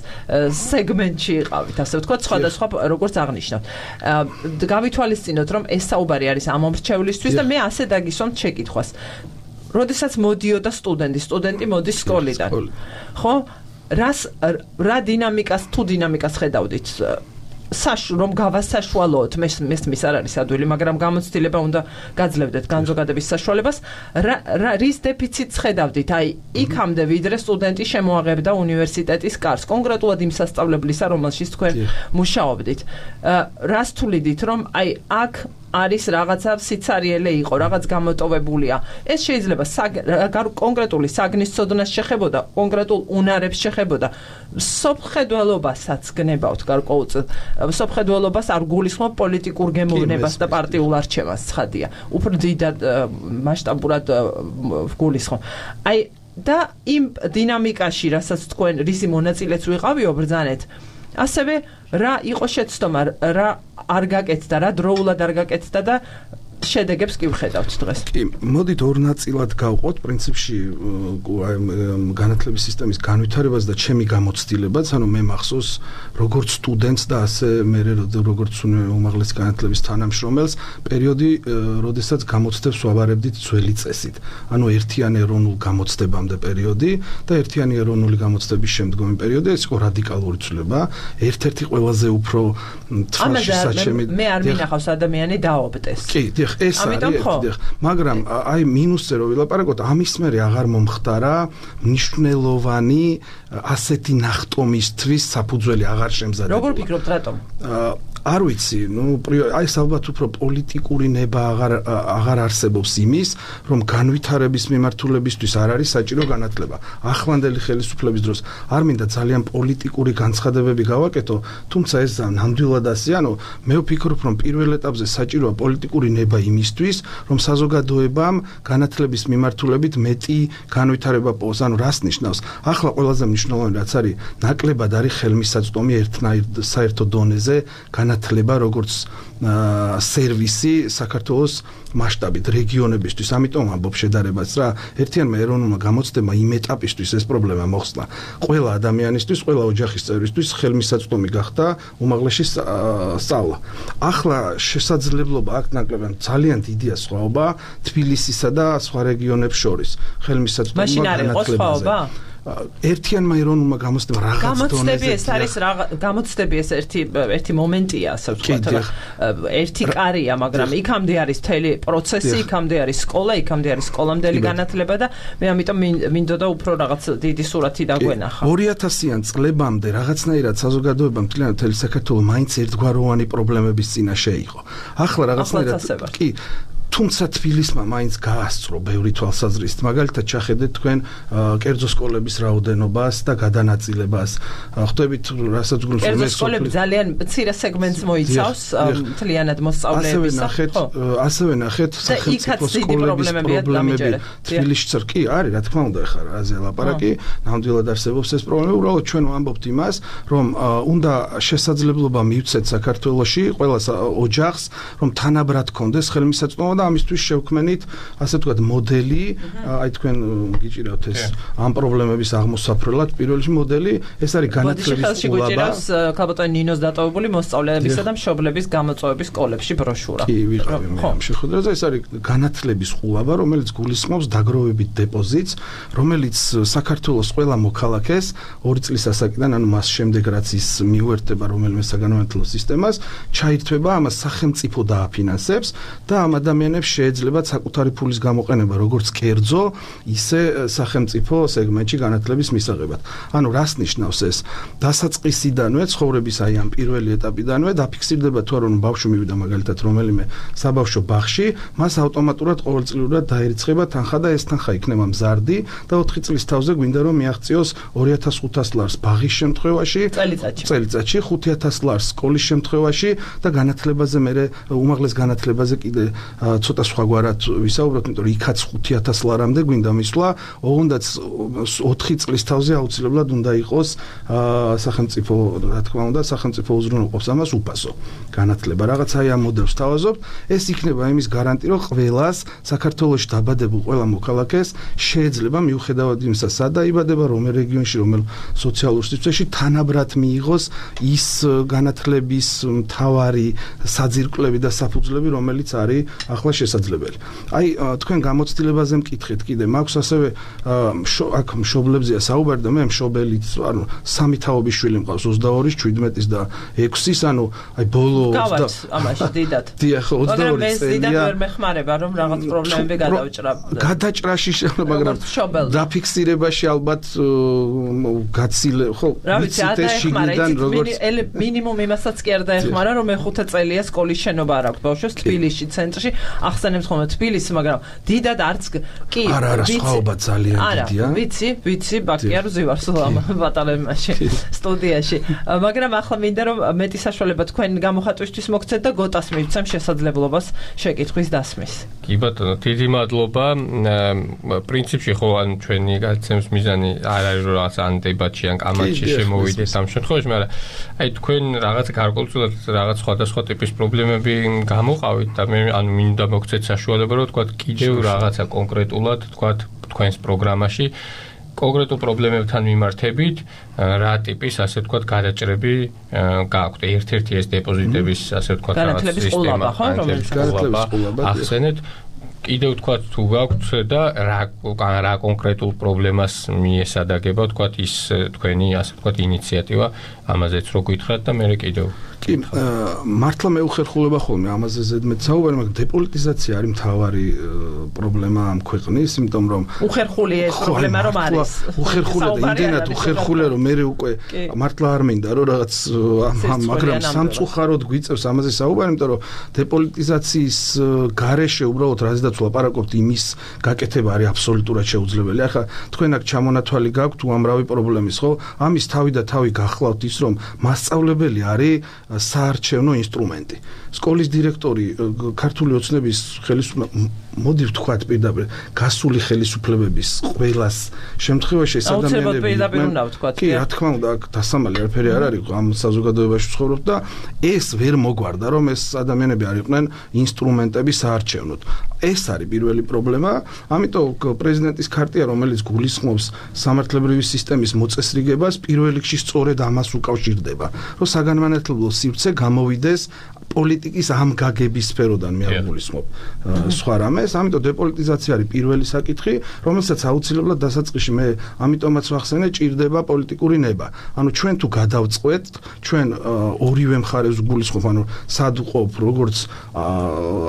სეგმენტში იყავით, ასე ვთქვათ, სხვადასხვა როგორც აღნიშნავთ. გავითვალისწინოთ, რომ ეს საუბარი არის ამომრჩევლისთვის და მე ასე დაგისვამთ შეკითხვას. როდესაც მოდიოდა სტუდენტი, სტუდენტი მოდის სკოლიდან. ხო? რას რა დინამიკას თუ დინამიკას ხედავდით საშ რომ გავასაშუალოთ მე მესმის არ არის ადვილი მაგრამ გამოცდილება უნდა გაძლევდეთ განზოგადების საშუალებას რა რის დეფიციტს ხედავდით აი იქამდე ვიდრე სტუდენტი შემოაღებდა უნივერსიტეტის კარს კონკრეტულად იმ სასწავლებლისა რომელშიც თქვენ მუშაობდით რას თვლიდით რომ აი აქ არის რაღაცა სიცარიელე იყო, რაღაც გამოტოვებულია. ეს შეიძლება კონკრეტული საგნის ცოდნას შეხებოდა, კონკრეტულ უნარებს შეხებოდა. სოფხედველობასაც გნებავთ გარკვეულწილად. სოფხედველობას არ გულისხმობ პოლიტიკურ გემოვნებას და პარტიულ არჩევას, ცხადია. უფრო დიდად მასშტაბურად გულისხმობ. აი და იმ დინამიკაში, რასაც თქვენ რისი მონაწილეც ვიყავიო ბრძანეთ, ასევე რა იყო შეცდომა, რა არ გაკეთდა, რა დროულად არ გაკეთდა და შედეგებს კი ვხედავთ დღეს. კი, მოდით ორ ნაწილად გავყოთ პრინციპში განათლების სისტემის განვითარებას და ჩემი გამოცდილებაც, ანუ მე მახსოვს როგორც სტუდენტს და ასე მე როგორც უმაღლესი განათლების თანამშრომელს პერიოდი, როდესაც გამოცდებს ვავარებდით ძველი წესით. ანუ ერთიანი ეროვნულ გამოცდებამდე პერიოდი და ერთიანი ეროვნული გამოცდების შემდგომი პერიოდი, ეს იყო რადიკალური ცვლილება. ერთ-ერთი ყველაზე უფრო თვალში საჩემი მე არ მინახავს ადამიანი დაობდეს. კი, ეს არის ერთი, მაგრამ აი მინუსზე რო ვილაპარაკოთ, ამის მერე აღარ მომხდარა მნიშვნელოვანი ასეთი ნახტომისთვის საფუძველი აღარ შემზადება. როგორ ფიქრობთ რატომ? არ ვიცი, ნუ აი ალბათ უფრო პოლიტიკური ნება აღარ აღარ არსებობს იმის, რომ განვითარების მიმართულებისთვის არ არის საჭირო განათლება. ახლანდელი ხელისუფლების დროს არ მინდა ძალიან პოლიტიკური განცხადებები გავაკეთო, თუმცა ეს ნამდვილად ასე, ანუ მე ვფიქრობ, რომ პირველ ეტაპზე საჭიროა პოლიტიკური ნება იმისთვის, რომ საზოგადოებამ განათლების მიმართულებით მეტი განვითარება პოს, ანუ რას ნიშნავს? ახლა ყველაზე მნიშვნელოვანი რაც არის, ნაკლებად არის ხელმისაწვდომი ერთნაირ საერთო დონეზე განათლება როგორც სერვისი საქართველოს მასშტაბით რეგიონებისთვის. ამიტომ ამბობ შედარებას რა, ერთიანმა ეროვნულმა გამოცდებმა იმ ეტაპისთვის ეს პრობლემა მოხსნა. ყველა ადამიანისთვის, ყველა ოჯახის წევრისთვის ხელმისაწვდომი გახდა უმაღლესი სწავლა. ახლა შესაძლებლობა აქ ნაკლებად ძალიან დიდია სხვაობა თბილისისა და სხვა რეგიონებს შორის ხელმისაწვდომი განათლებაზე. ერთიანმა ეროვნულმა გამოცდებამ რაღაც დონეზე გამოცდები ეს არის გამოცდები ეს ერთი ერთი მომენტია ასე ვთქვათ ერთი კარია მაგრამ იქამდე არის მთელი პროცესი იქამდე არის სკოლა იქამდე არის სკოლამდელი განათლება და მე ამიტომ მინდოდა უფრო რაღაც დიდი სურათი დაგვენახა ორი ათასიან წლებამდე რაღაცნაირად საზოგადოება მთლიანად მთელი საქართველოს მაინც ერთგვაროვანი პრობლემების წინაშე იყო ახლა რაღაცნაირად კი თუმცა თბილისმა მაინც გაასწრო ბევრი თვალსაზრისით მაგალითად ჩახედეთ თქვენ კერძო სკოლების რაოდენობას და გადანაწილებას ხვდებით რასაც გულს კერძო სკოლები ძალიან მცირე სეგმენტს მოიცავს მთლიანად მოსწავლეების ხო ასევე ნახეთ სახელმწიფო სკოლების პრობლემები თბილისშიც კი არის რა თქმა უნდა ხარ აზე ლაპარაკი ნამდვილად არსებობს ეს პრობლემა უბრალოდ ჩვენ ვამბობთ იმას რომ უნდა შესაძლებლობა მივცეთ საქართველოში ყველა ოჯახს რომ თანაბრად კონდეს ხელმისაწვდომობა და ამისთვის შევქმენით ასე ვთქვათ მოდელი აი თქვენ გიჭირავთ ეს ამ პრობლემების აღმოსაფრელად პირველი მოდელი ეს არის განათლების სკოლა ქალბატონ ნინოს დატოვებული მოსწავლეებისა და მშობლების გამოწვევების სკოლებში ბროშურა კი ვიყავი მე ამ შეხვედრაზე ეს არის განათლების სკოლა რომელიც გულისხმობს დაგროვებით დეპოზიტს რომელიც საქართველოს ყველა მოქალაქეს ორი წლის ასაკიდან ანუ მას შემდეგ რაც ის მიუერთდება რომელიმე საგანმანათლებლო სისტემას ჩაირთვება ამას სახელმწიფო დააფინანსებს და ამ ადამიანებს შეიძლება საკუთარი ფულის გამოყენება როგორც კერძო, ისე სახელმწიფო სეგმენტში განათლების მისაღებად. ანუ რას ნიშნავს ეს? დასაწყისიდანვე ცხოვრების აი ამ პირველი ეტაპიდანვე დაფიქსირდება თუ არა რომ ბავშვი მივიდა მაგალითად რომელიმე საბავშვო ბაღში, მას ავტომატურად ყოველწლიურად დაერიცხება თანხა და ეს თანხა იქნება მზარდი და ოთხი წლის თავზე გვინდა რომ მიაღწიოს ორი ათას ხუთას ლარს ბაღის შემთხვევაში, წელიწადში, წელიწადში ხუთი ათას ლარს სკოლის შემთხვევაში და განათლებაზე მე უმაღლეს განათლებაზე კიდე ცოტა სხვაგვარად ვისაუბროთ, იმიტომ რომ იქაც ხუთი ათას ლარამდე გვინდა მისვლა, ოღონდაც ოთხი წლის თავზე აუცილებლად უნდა იყოს სახელმწიფო, რა თქმა უნდა, სახელმწიფო უზრუნველყოფს ამას უფასო განათლება. რაღაც აი ამ მოდელს თავაზობთ, ეს იქნება იმის გარანტი, რომ ყველას საქართველოში დაბადებულ ყველა მოქალაქეს შეიძლება მიუხედავად იმისა, სად დაიბადება, რომელ რეგიონში, რომელ სოციალურ სივრცეში თანაბრად მიიღოს ის განათლების მთავარი საძირკვლები და საფუძვლები, რომელიც არის ახლა ახლა შესაძლებელი. აი თქვენ გამოცდილებაზე მკითხეთ კიდე, მაქვს ასევე აქ მშობლებზეა საუბარი და მე მშობელიც, ანუ სამი თაობის შვილი მყავს ოცდაორის, შვიდმეტის და ექვსის, ანუ აი ბოლო გავართ ამაში დიდად. დიახ, ოცდაორი წელია. მაგრამ ეს დიდად ვერ მეხმარება, რომ რაღაც პრობლემები გადავჭრა. გადაჭრაში, მაგრამ დაფიქსირებაში ალბათ გაცილე, ხო, ვიცით ეს შიგნიდან როგორც მინიმუმ იმასაც კი არ დაეხმარა, რომ მეხუთე წელია სკოლის შენობა არ აქვს ბავშვებს თბილისში ცენტრში, ახსენებს ხოლმე თბილისი, მაგრამ დიდად არც კი არა, არა, სხვაობა ძალიან დიდია. არა, ვიცი, ვიცი, ბაქიარ ზივარს ბატალიონში, სტუდიაში. მაგრამ ახლა მინდა რომ მეტი საშუალება თქვენ გამოხატვისთვის მოგცეთ და გოტას მივცემ შესაძლებლობას შეკითხვის დასმის. კი ბატონო, დიდი მადლობა. პრინციპში ხო ან ჩვენი გაცემის მიზანი არ არის რომ რაღაც ან დებატში ან კამათში შემოვიდეთ ამ შემთხვევაში, მაგრამ აი თქვენ რაღაც გარკვეულწილად რაღაც სხვადასხვა ტიპის პრობლემები გამოყავით და მე ანუ მინდა მოგცეთ საშუალება რომ თქვა კიდევ რაღაცა კონკრეტულად თქვა თქვენს პროგრამაში კონკრეტულ პრობლემებთან მიმართებით რა ტიპის ასე თქვა გადაჭრები გააქვთ. ერთ-ერთი ეს დეპოზიტების ასე თქვა რაღაც სისტემა, ხო, რომელიც ახსენეთ. კიდევ თქვა თუ გაქვთ და რა რა კონკრეტულ პრობლემას მიესადაგება თქვა ის თქვენი ასე თქვა ინიციატივა ამაზეც რო გითხრათ და მე კიდევ კი მართლა მე უხერხულება ხოლმე ამაზე ზედმეტ საუბარი, მაგრამ დეპოლიტიზაცია არის მთავარი პრობლემა ამ ქვეყნის, იმიტომ რომ უხერხულია ეს პრობლემა რომ არის. უხერხულია და იმდენად უხერხულია რომ მე უკვე მართლა არ მინდა რომ რაღაც მაგრამ სამწუხაროდ გვიწევს ამაზე საუბარი, იმიტომ რომ დეპოლიტიზაციის გარეშე უბრალოდ რაზედაც ვლაპარაკობთ იმის გაკეთება არის აბსოლუტურად შეუძლებელი. ახლა თქვენ აქ ჩამონათვალი გაქვთ უამრავი პრობლემის, ხო? ამის თავი და თავი გახლავთ ის რომ მასწავლებელი არის საარჩევნო ინსტრუმენტი. სკოლის დირექტორი ქართული ოცნების ხელისუფლება მოდი ვთქვათ პირდაპირ გასული ხელისუფლებების ყველას შემთხვევაში ეს ადამიანები კი რა თქმა უნდა აქ დასამალი არაფერი არ არის ამ საზოგადოებაში ცხოვრობ და ეს ვერ მოგვარდა რომ ეს ადამიანები არ იყვნენ ინსტრუმენტები საარჩევნოდ. ეს არის პირველი პრობლემა, ამიტომ პრეზიდენტის ქარტია, რომელიც გულისხმობს სამართლებრივი სისტემის მოწესრიგებას, პირველ რიგში სწორედ ამას უკავშირდება, რომ საგანმანათლებლო სივრცე გამოვიდეს პოლიტიკის ამ გაგების სფეროდან მე არ გულისხმობ სხვა რამეს, ამიტომ დეპოლიტიზაცია არის პირველი საკითხი, რომელსაც აუცილებლად დასაწყისში მე ამიტომაც ვახსენე, ჭირდება პოლიტიკური ნება. ანუ ჩვენ თუ გადავწყვეტ, ჩვენ ორივე მხარეს გულისხმობ, ანუ სად ვყოფ, როგორც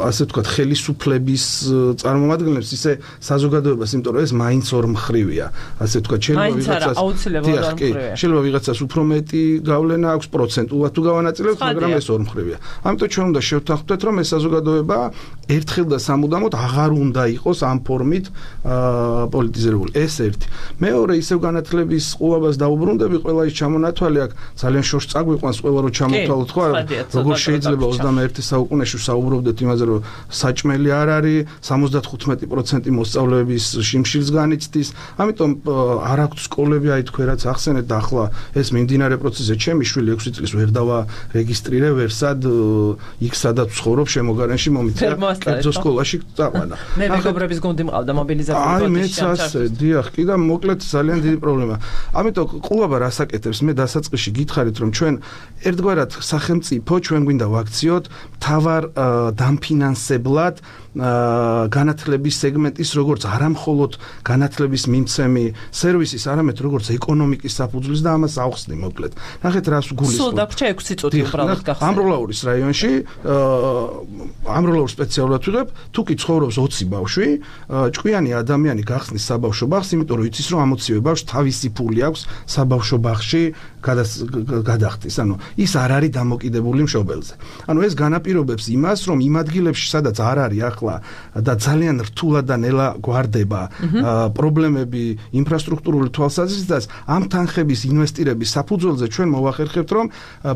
ასე ვთქვათ, ხელისუფლების წარმომადგენლებს, ისე საზოგადოებას, იმიტომ რომ ეს მაინც ორმხრივია. ასე ვთქვათ, შეიძლება ვიღაცას შეიძლება ვიღაცას უფრო მეტი გავლენა აქვს პროცენტულად თუ გავანაწილებს, მაგრამ ეს ორმხრივია. ამიტომ ჩვენ უნდა შევთანხმდეთ, რომ ეს საზოგადოება ერთხელ და სამუდამოდ აღარ უნდა იყოს ამ ფორმით პოლიტიზირებული. ეს ერთი. მეორე, ისევ განათლების ყურებას დაუბრუნდები, ყველა ის ჩამონათვალი აქ ძალიან შორს წაგვიყვანს, ყველა რო ჩამოთვალოთ, ხო, როგორ შეიძლება ოცდამეერთე საუკუნეში საუბრობდეთ იმაზე, რომ საჭმელი არ არის, სამოცდათხუთმეტი პროცენტი მოსწავლეების შიმშილს განიცდის. ამიტომ არ აქვს სკოლები, აი თქვენ რაც ახსენეთ და ახლა ეს მიმდინარე პროცესზე ჩემი შვილი ექვსი წლის ვერ დავარეგისტრირე, ვერ სად იქ სადაც ცხოვრობ შემოგარენში მომიწია კერძო სკოლაში წაყვანა. მე მეგობრების გუნდი მყავდა მობილიზებული აი მეც ასე, დიახ, კი და მოკლედ ძალიან დიდი პრობლემა. ამიტომ ყურება რას აკეთებს, მე დასაწყისში გითხარით რომ ჩვენ ერთგვარად სახელმწიფო ჩვენ გვინდა ვაქციოთ მთავარ დამფინანსებლად განათლების სეგმენტის როგორც არამხოლოდ განათლების მიმცემი სერვისის, არამედ როგორც ეკონომიკის საფუძვლის და ამას ავხსნი მოკლედ. ნახეთ რას გულისხმობ. სულ დაგვრჩა ექვსი წუთი უბრალოდ გახსნა. ამროლაურის რაიონში ამროლაურს სპეციალურად ვიღებ, თუ კი ცხოვრობს ოცი ბავშვი, ჭკვიანი ადამიანი გახსნის საბავშვო ბაღს, იმიტომ რომ იცის რომ ამოცივე ბავშვს თავისი ფული აქვს საბავშვო ბაღში გადახდის. ანუ ის არ არის დამოკიდებული მშობელზე. ანუ ეს განაპირობებს იმას, რომ იმ ადგილებში, სადაც არ არის ახლა და ძალიან რთულად და ნელა გვარდება პრობლემები ინფრასტრუქტურული თვალსაზრისითაც, ამ თანხების ინვესტირების საფუძველზე ჩვენ მოვახერხებთ, რომ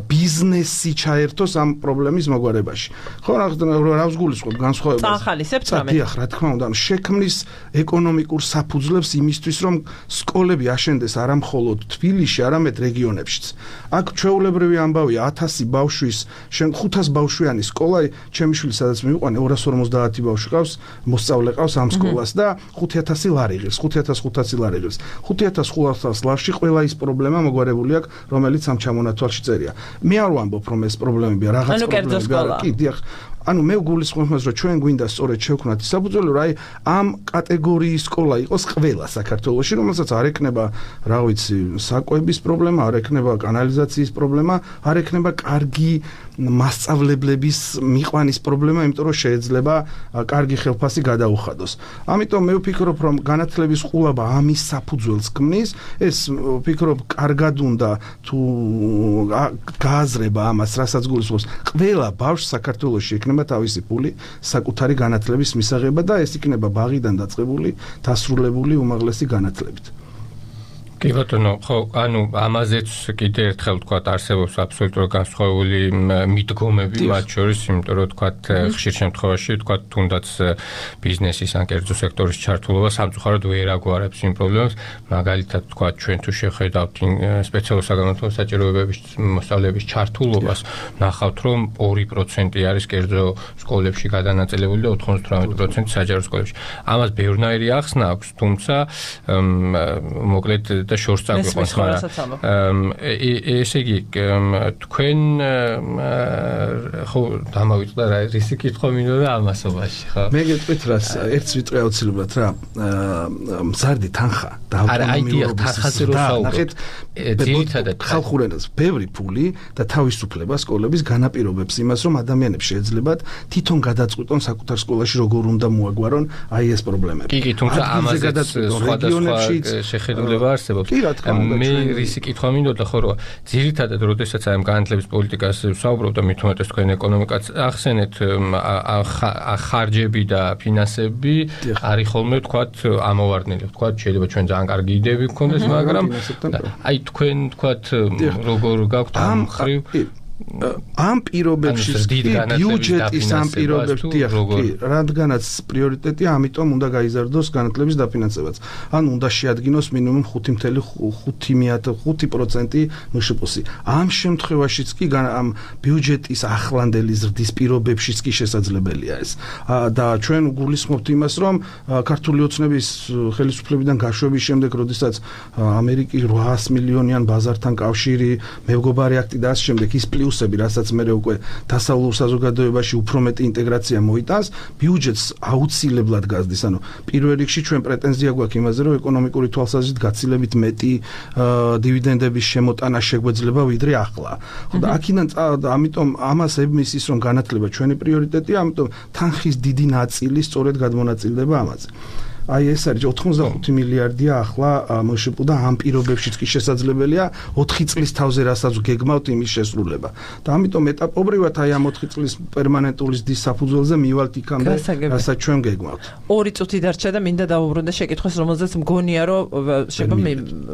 ბიზნესი ჩაერთოს ამ პრობლემის მოგვარებაში. ხო, რა ვსგულისხმობ განსხვავებას. წახალისებთ რამე? დიახ, რა თქმა უნდა, შექმნის ეკონომიკურ საფუძვლებს იმისთვის, რომ სკოლები აშენდეს არამხოლოდ თბილისში, არამედ რეგიონებშიც. აქ ჩვეულებრივი ამბავია ათასი ბავშვის, შენ ხუთას ბავშვიანი სკოლა, ჩემი შვილი სადაც მივიყვანე ორას ორმოცდაათი ბავშვი ყავს, მოსწავლე ყავს ამ სკოლას და ხუთი ათასი ლარი ღირს, ხუთი ათას ხუთასი ლარი ღირს. ხუთი ათას ხუთასი ლარში ყველა ის პრობლემა მოგვარებული აქვს, რომელიც ამ ჩამონათვალში წერია. მე არ ვამბობ, რომ ეს პრობლემებია, რაღაც პრობლემებია. კი, დიახ. ანუ მე ვგულისხმობ მას, რომ ჩვენ გვინდა სწორედ შევქმნათ ის საფუძველი, რომ აი ამ კატეგორიის სკოლა იყოს ყველა საქართველოში, რომელსაც არ ექნება, რა ვიცი, საკვების პრობლემა, არ ექნება კანალიზაციის პრობლემა, არ ექნება კარგი მასწავლებლების მიყვანის პრობლემა, იმიტომ რომ შეიძლება კარგი ხელფასი გადაუხადოს. ამიტომ მე ვფიქრობ, რომ განათლების ყულაბა ამის საფუძველს ქმნის, ეს ვფიქრობ, კარგად უნდა თუ გააზრება ამას, რასაც გულისხმობს, ყველა ბავშვს საქართველოში ექნება თავისი ფული საკუთარი განათლების მისაღებად და ეს იქნება ბაღიდან დაწყებული, დასრულებული უმაღლესი განათლებით. კი ბატონო, ხო, ანუ ამაზეც კიდე ერთხელ ვთქვათ, არსებობს აბსოლუტურად განსხვავებული მიდგომები მათ შორის, იმიტომ რომ ვთქვათ, ხშირ შემთხვევაში ვთქვათ, თუნდაც ბიზნესის ან კერძო სექტორის ჩართულობა სამწუხაროდ ვერ აგვარებს იმ პრობლემას, მაგალითად ვთქვათ, ჩვენ თუ შევხედავთ სპეციალურ საგანმანათლებლო საჭიროებების მოსწავლეების ჩართულობას, ნახავთ, რომ ორი პროცენტი არის კერძო სკოლებში გადანაწილებული და ოთხმოცდაოთხ პროცენტი საჯარო სკოლებში. ამას ბევრნაირი ახსნა აქვს, თუმცა მოკლედ და შორს წაგვიყვანს, მაგრამ ესე იგი თქვენ ხო დამავიწყდა რა ისი კითხვა მინდოდა ამასობაში, ხო? მე გეტყვით რა, ერთს ვიტყვი აუცილებლად რა, მზარდი თანხა და ავტონომიურობის ნახეთ, ძირითადად ხალხურ ენაზე ბევრი ფული და თავისუფლება სკოლების განაპირობებს იმას, რომ ადამიანებს შეეძლებათ თვითონ გადაწყვიტონ საკუთარ სკოლაში როგორ უნდა მოაგვარონ აი ეს პრობლემები. კი, კი, თუმცა ამაზეც სხვადასხვა შეხედულება არსებობს. მე რისი კითხვა მინდოდა, ხო, რომ ძირითადად როდესაც აი ამ განათლების პოლიტიკას ვსაუბრობ და მით უმეტეს თქვენ ეკონომიკაც ახსენეთ, ხარჯები და ფინანსები არის ხოლმე ვთქვათ ამოვარდნილი. ვთქვათ, შეიძლება ჩვენ ძალიან კარგი იდეები გქონდეს, მაგრამ აი თქვენ ვთქვათ, როგორ გაქვთ ამ ხრივ ამ პირობებში ბიუჯეტის ამ პირობებში კი, რადგანაც პრიორიტეტია, ამიტომ უნდა გაიზარდოს განათლების დაფინანსებაც. ან უნდა შეადგინოს მინიმუმ ხუთი პროცენტი მშპ-ი. ამ შემთხვევაშიც კი ამ ბიუჯეტის ახლანდელი ზრდის პირობებშიც კი შესაძლებელია ეს. და ჩვენ გულისხმობთ იმას, რომ ქართული ოცნების ხელისუფლებიდან გაშვების შემდეგ, როდესაც ამერიკის ოთხას მილიონიან ბაზართან კავშირი, მეგობარი აქტი და ამ შემდეგ ის პლუსები, რასაც მე უკვე დასავლურ საზოგადოებაში უფრო მეტი ინტეგრაცია მოიტანს, ბიუჯეტს აუცილებლად გაზრდის. ანუ პირველ რიგში ჩვენ პრეტენზია გვაქვს იმაზე, რომ ეკონომიკური თვალსაზრისით გაცილებით მეტი დივიდენდების შემოტანა შეგვეძლება ვიდრე ახლა. ხო და აქედან ამიტომ ამას ებმის ის, რომ განათლება ჩვენი პრიორიტეტია, ამიტომ თანხის დიდი ნაწილი სწორედ გადმონაწილდება ამაზე. აი ეს არის ოთხმოცდახუთი მილიარდია ახლა მშპ და ამ პირობებშიც კი შესაძლებელია ოთხი წლის თავზე რასაც გეგმავთ იმის შესრულება. და ამიტომ ეტაპობრივად აი ამ ოთხი წლის პერმანენტული ზრდის საფუძველზე მივალთ იქამდე, რასაც ჩვენ გეგმავთ. ორი წუთი დარჩა და მინდა დავუბრუნდე შეკითხვას, რომელზეც მგონია, რომ შეიძლება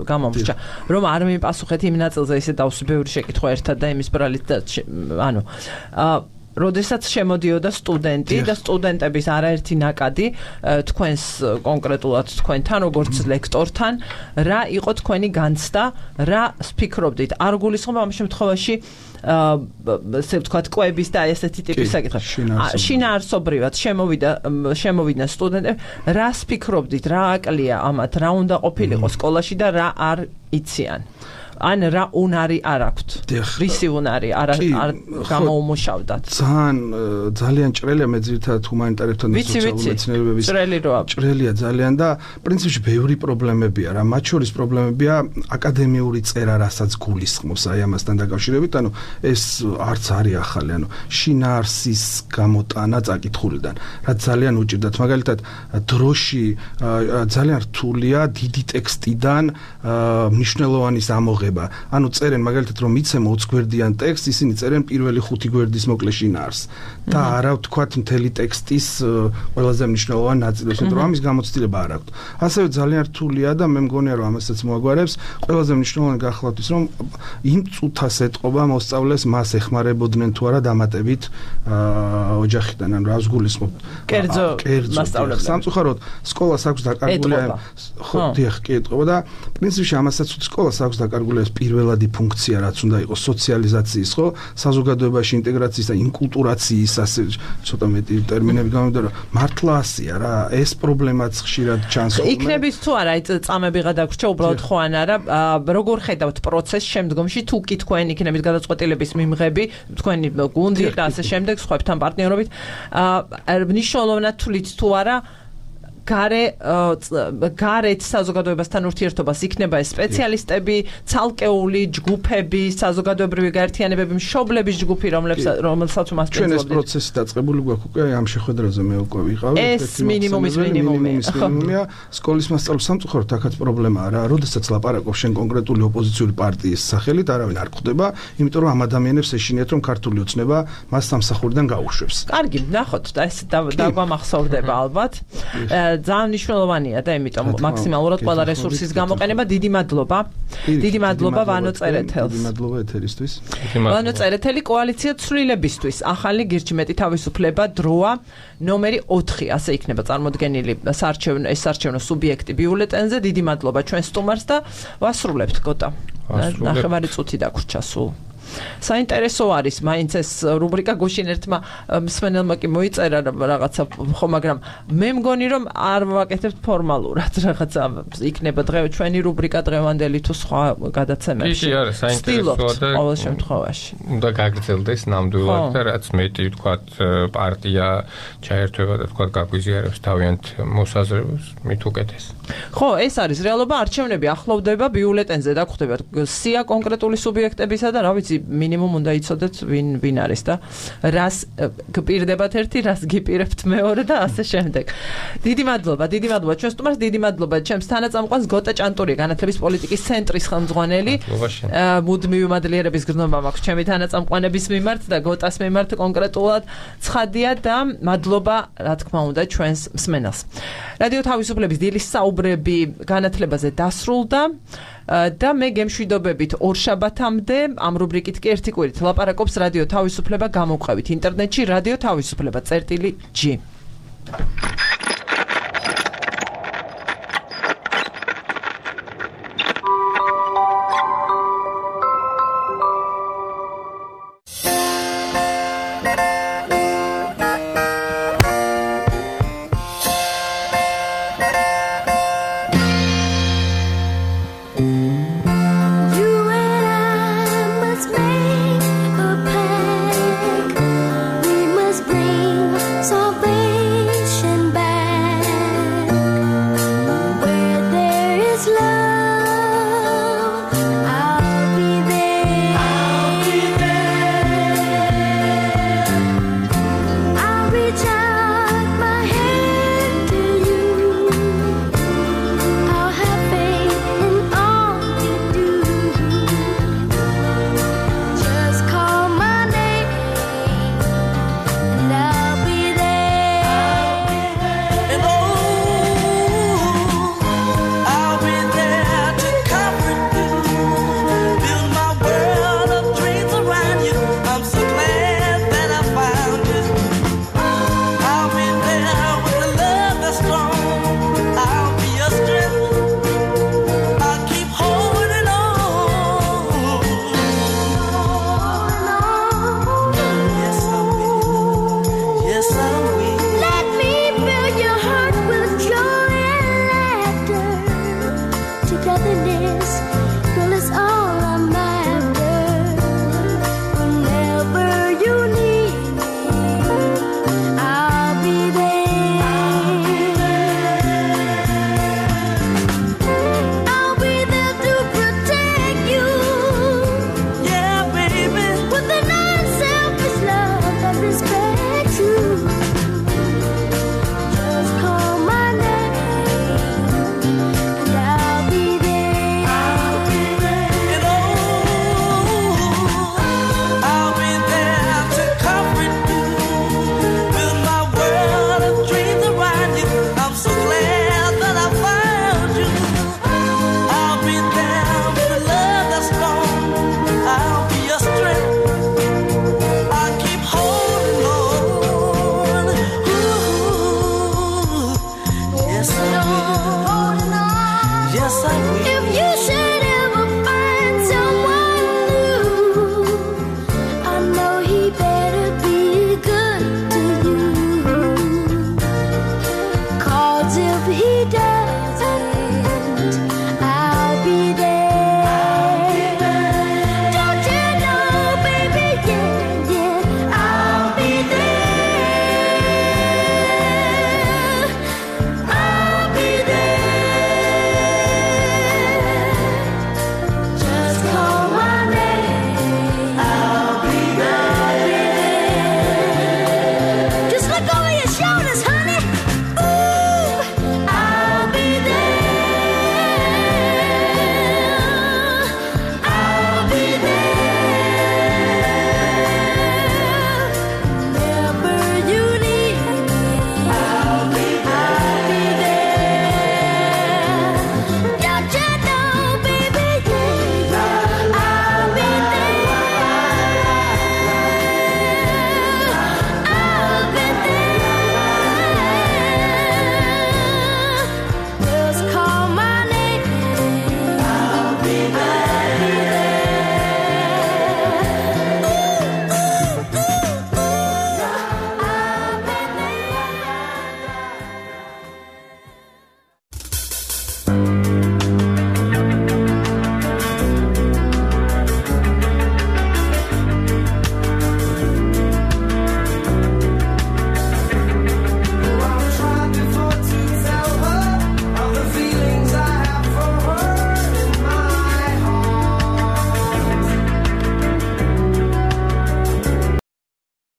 გამომრჩა, რომ არ მიპასუხეთ იმ ნაწილზე, ისე დავსვი ბევრი შეკითხვა ერთად და იმის ბრალით და ანუ როდესაც შემოდიოდა სტუდენტი და სტუდენტების არაერთი ნაკადი თქვენს კონკრეტულად თქვენთან, როგორც ლექტორთან, რა იყო თქვენი განცდა, რა ვფიქრობდით? არ გულისხმობ ამ შემთხვევაში ასე ვთქვათ, კვების და ესეთი ტიპის საკითხები. შინაარსობრივად შემოვიდა შემოვიდნენ სტუდენტები, რა ვფიქრობდით, რა აკლია ამათ, რა უნდა ყოფილიყო სკოლაში და რა არ იციან? ან რა უნარი არ აქვთ? რისი უნარი არ არ გამოუმუშავდათ? ძალიან ძალიან ჭრელია, მე ძირითადად ჰუმანიტარებთან და სოციალური მეცნიერებების ჭრელი როა. ჭრელია ძალიან და პრინციპში ბევრი პრობლემებია რა. მათ შორის პრობლემებია აკადემიური წერა, რასაც გულისხმობს აი ამასთან დაკავშირებით, ანუ ეს არც არის ახალი, ანუ შინაარსის გამოტანა წაკითხულიდან, რაც ძალიან უჭირდათ. მაგალითად, დროში ძალიან რთულია დიდი ტექსტიდან მნიშვნელოვანის ამოღება. ანუ წერენ მაგალითად, რომ მიცემ ოცი გვერდიან ტექსტს, ისინი წერენ პირველი ხუთი გვერდის მოკლე შინაარსს და არა ვთქვათ მთელი ტექსტის ყველაზე მნიშვნელოვანი ნაწილს, იმიტომ რომ ამის გამოცდილება არ აქვს. ასევე ძალიან რთულია და მე მგონია, რომ ამასაც მოაგვარებს, ყველაზე მნიშვნელოვანი გახლავთ ის, რომ იმ წუთას ეტყობა მოსწავლეს მას ეხმარებოდნენ თუ არა დამატებით ოჯახიდან, ანუ რას გულისხმობ? კერძო მასწავლებლები. სამწუხაროდ სკოლას აქვს დაკარგული, ხო, დიახ, კი ეტყობა და პრინციპში ამასაც სკოლას აქვს დაკარგული მოსახლეობის პირველადი ფუნქცია რაც უნდა იყოს სოციალიზაციის, ხო, საზოგადოებაში ინტეგრაციის და ინკულტურაციის, ასე ცოტა მეტი ტერმინები გამოვიდა, რომ მართლა ასია რა, ეს პრობლემაც ხშირად ჩანს ხოლმე. იქნების თუ არა, აი წამები გადაგვრჩა უბრალოდ ხო ან არა, როგორ ხედავთ პროცესს შემდგომში, თუ კი თქვენ იქნებით გადაწყვეტილების მიმღები, თქვენი გუნდი და ასე შემდეგ სხვებთან პარტნიორობით, მნიშვნელოვნად თვლით თუ არა გარე გარეთ საზოგადოებასთან ურთიერთობას იქნება ეს სპეციალისტები, ცალკეული ჯგუფები, საზოგადოებრივი გაერთიანებები, მშობლების ჯგუფი, რომლებსაც რომელსაც მასწავლებლობთ. ჩვენ ეს პროცესი დაწყებული გვაქვს უკვე ამ შეხვედრაზე მე უკვე ვიყავი. ეს მინიმუმის მინიმუმია. სკოლის მასწავლებლის სამწუხაროდ აქაც პრობლემაა რა, როდესაც ლაპარაკობ შენ კონკრეტული ოპოზიციური პარტიის სახელით, არავინ არ ხვდება, იმიტომ რომ ამ ადამიანებს ეშინიათ რომ ქართული ოცნება მას სამსახურიდან გაუშვებს. კარგი, ნახოთ და ეს დაგვამახსოვრდება ალბათ. ძალიან მნიშვნელოვანია და იმიტომ მაქსიმალურად ყველა რესურსის გამოყენება. დიდი მადლობა. დიდი მადლობა ვანო წერეთელს. დიდი მადლობა ეთერისთვის. ვანო წერეთელი კოალიცია ცვლილებისთვის. ახალი გირჩი მეტი თავისუფლება დროა ნომერი ოთხი ასე იქნება წარმოდგენილი საარჩევნო ეს საარჩევნო სუბიექტი ბიულეტენზე. დიდი მადლობა ჩვენ სტუმარს და ვასრულებთ გოტა. ნახევარი წუთი დაგვრჩა სულ. საინტერესო არის მაინც ეს რუბრიკა გუშინ ერთმა მსმენელმა კი მოიწერა რაღაცა ხო მაგრამ მე მგონი რომ არ ვაკეთებთ ფორმალურად რაღაცა იქნება დღე ჩვენი რუბრიკა დღევანდელი თუ სხვა გადაცემებში. კი არის საინტერესოა და ყოველ შემთხვევაში უნდა გაგრძელდეს ნამდვილად და რაც მეტი ვთქვათ პარტია ჩაერთვება და ვთქვათ გაგვიზიარებს თავიანთ მოსაზრებას მით უკეთეს. ხო ეს არის რეალობა არჩევნები ახლოვდება ბიულეტენზე დაგხვდება სია კონკრეტული სუბიექტებისა და რა ვიცი მინიმუმ უნდა იცოდეთ ვინ ვინ არის და რას გპირდებათ ერთი, რას გიპირებთ მეორე და ასე შემდეგ. დიდი მადლობა, დიდი მადლობა ჩვენ სტუმარს, დიდი მადლობა ჩემს თანაწამყვანს გოტა ჭანტური, განათლების პოლიტიკის ცენტრის ხელმძღვანელი. მუდმივი მადლიერების გრძნობა მაქვს ჩემი თანაწამყვანების მიმართ და გოტას მიმართ კონკრეტულად ცხადია და მადლობა რა თქმა უნდა ჩვენს მსმენელს. რადიო თავისუფლების დილის საუბრები განათლებაზე დასრულდა. და მე გემშვიდობებით ორშაბათამდე ამ რუბრიკით კი ერთი კვირით ლაპარაკობს რადიო თავისუფლება გამოვყევით ინტერნეტში რადიო თავისუფლება წერტილი ჯი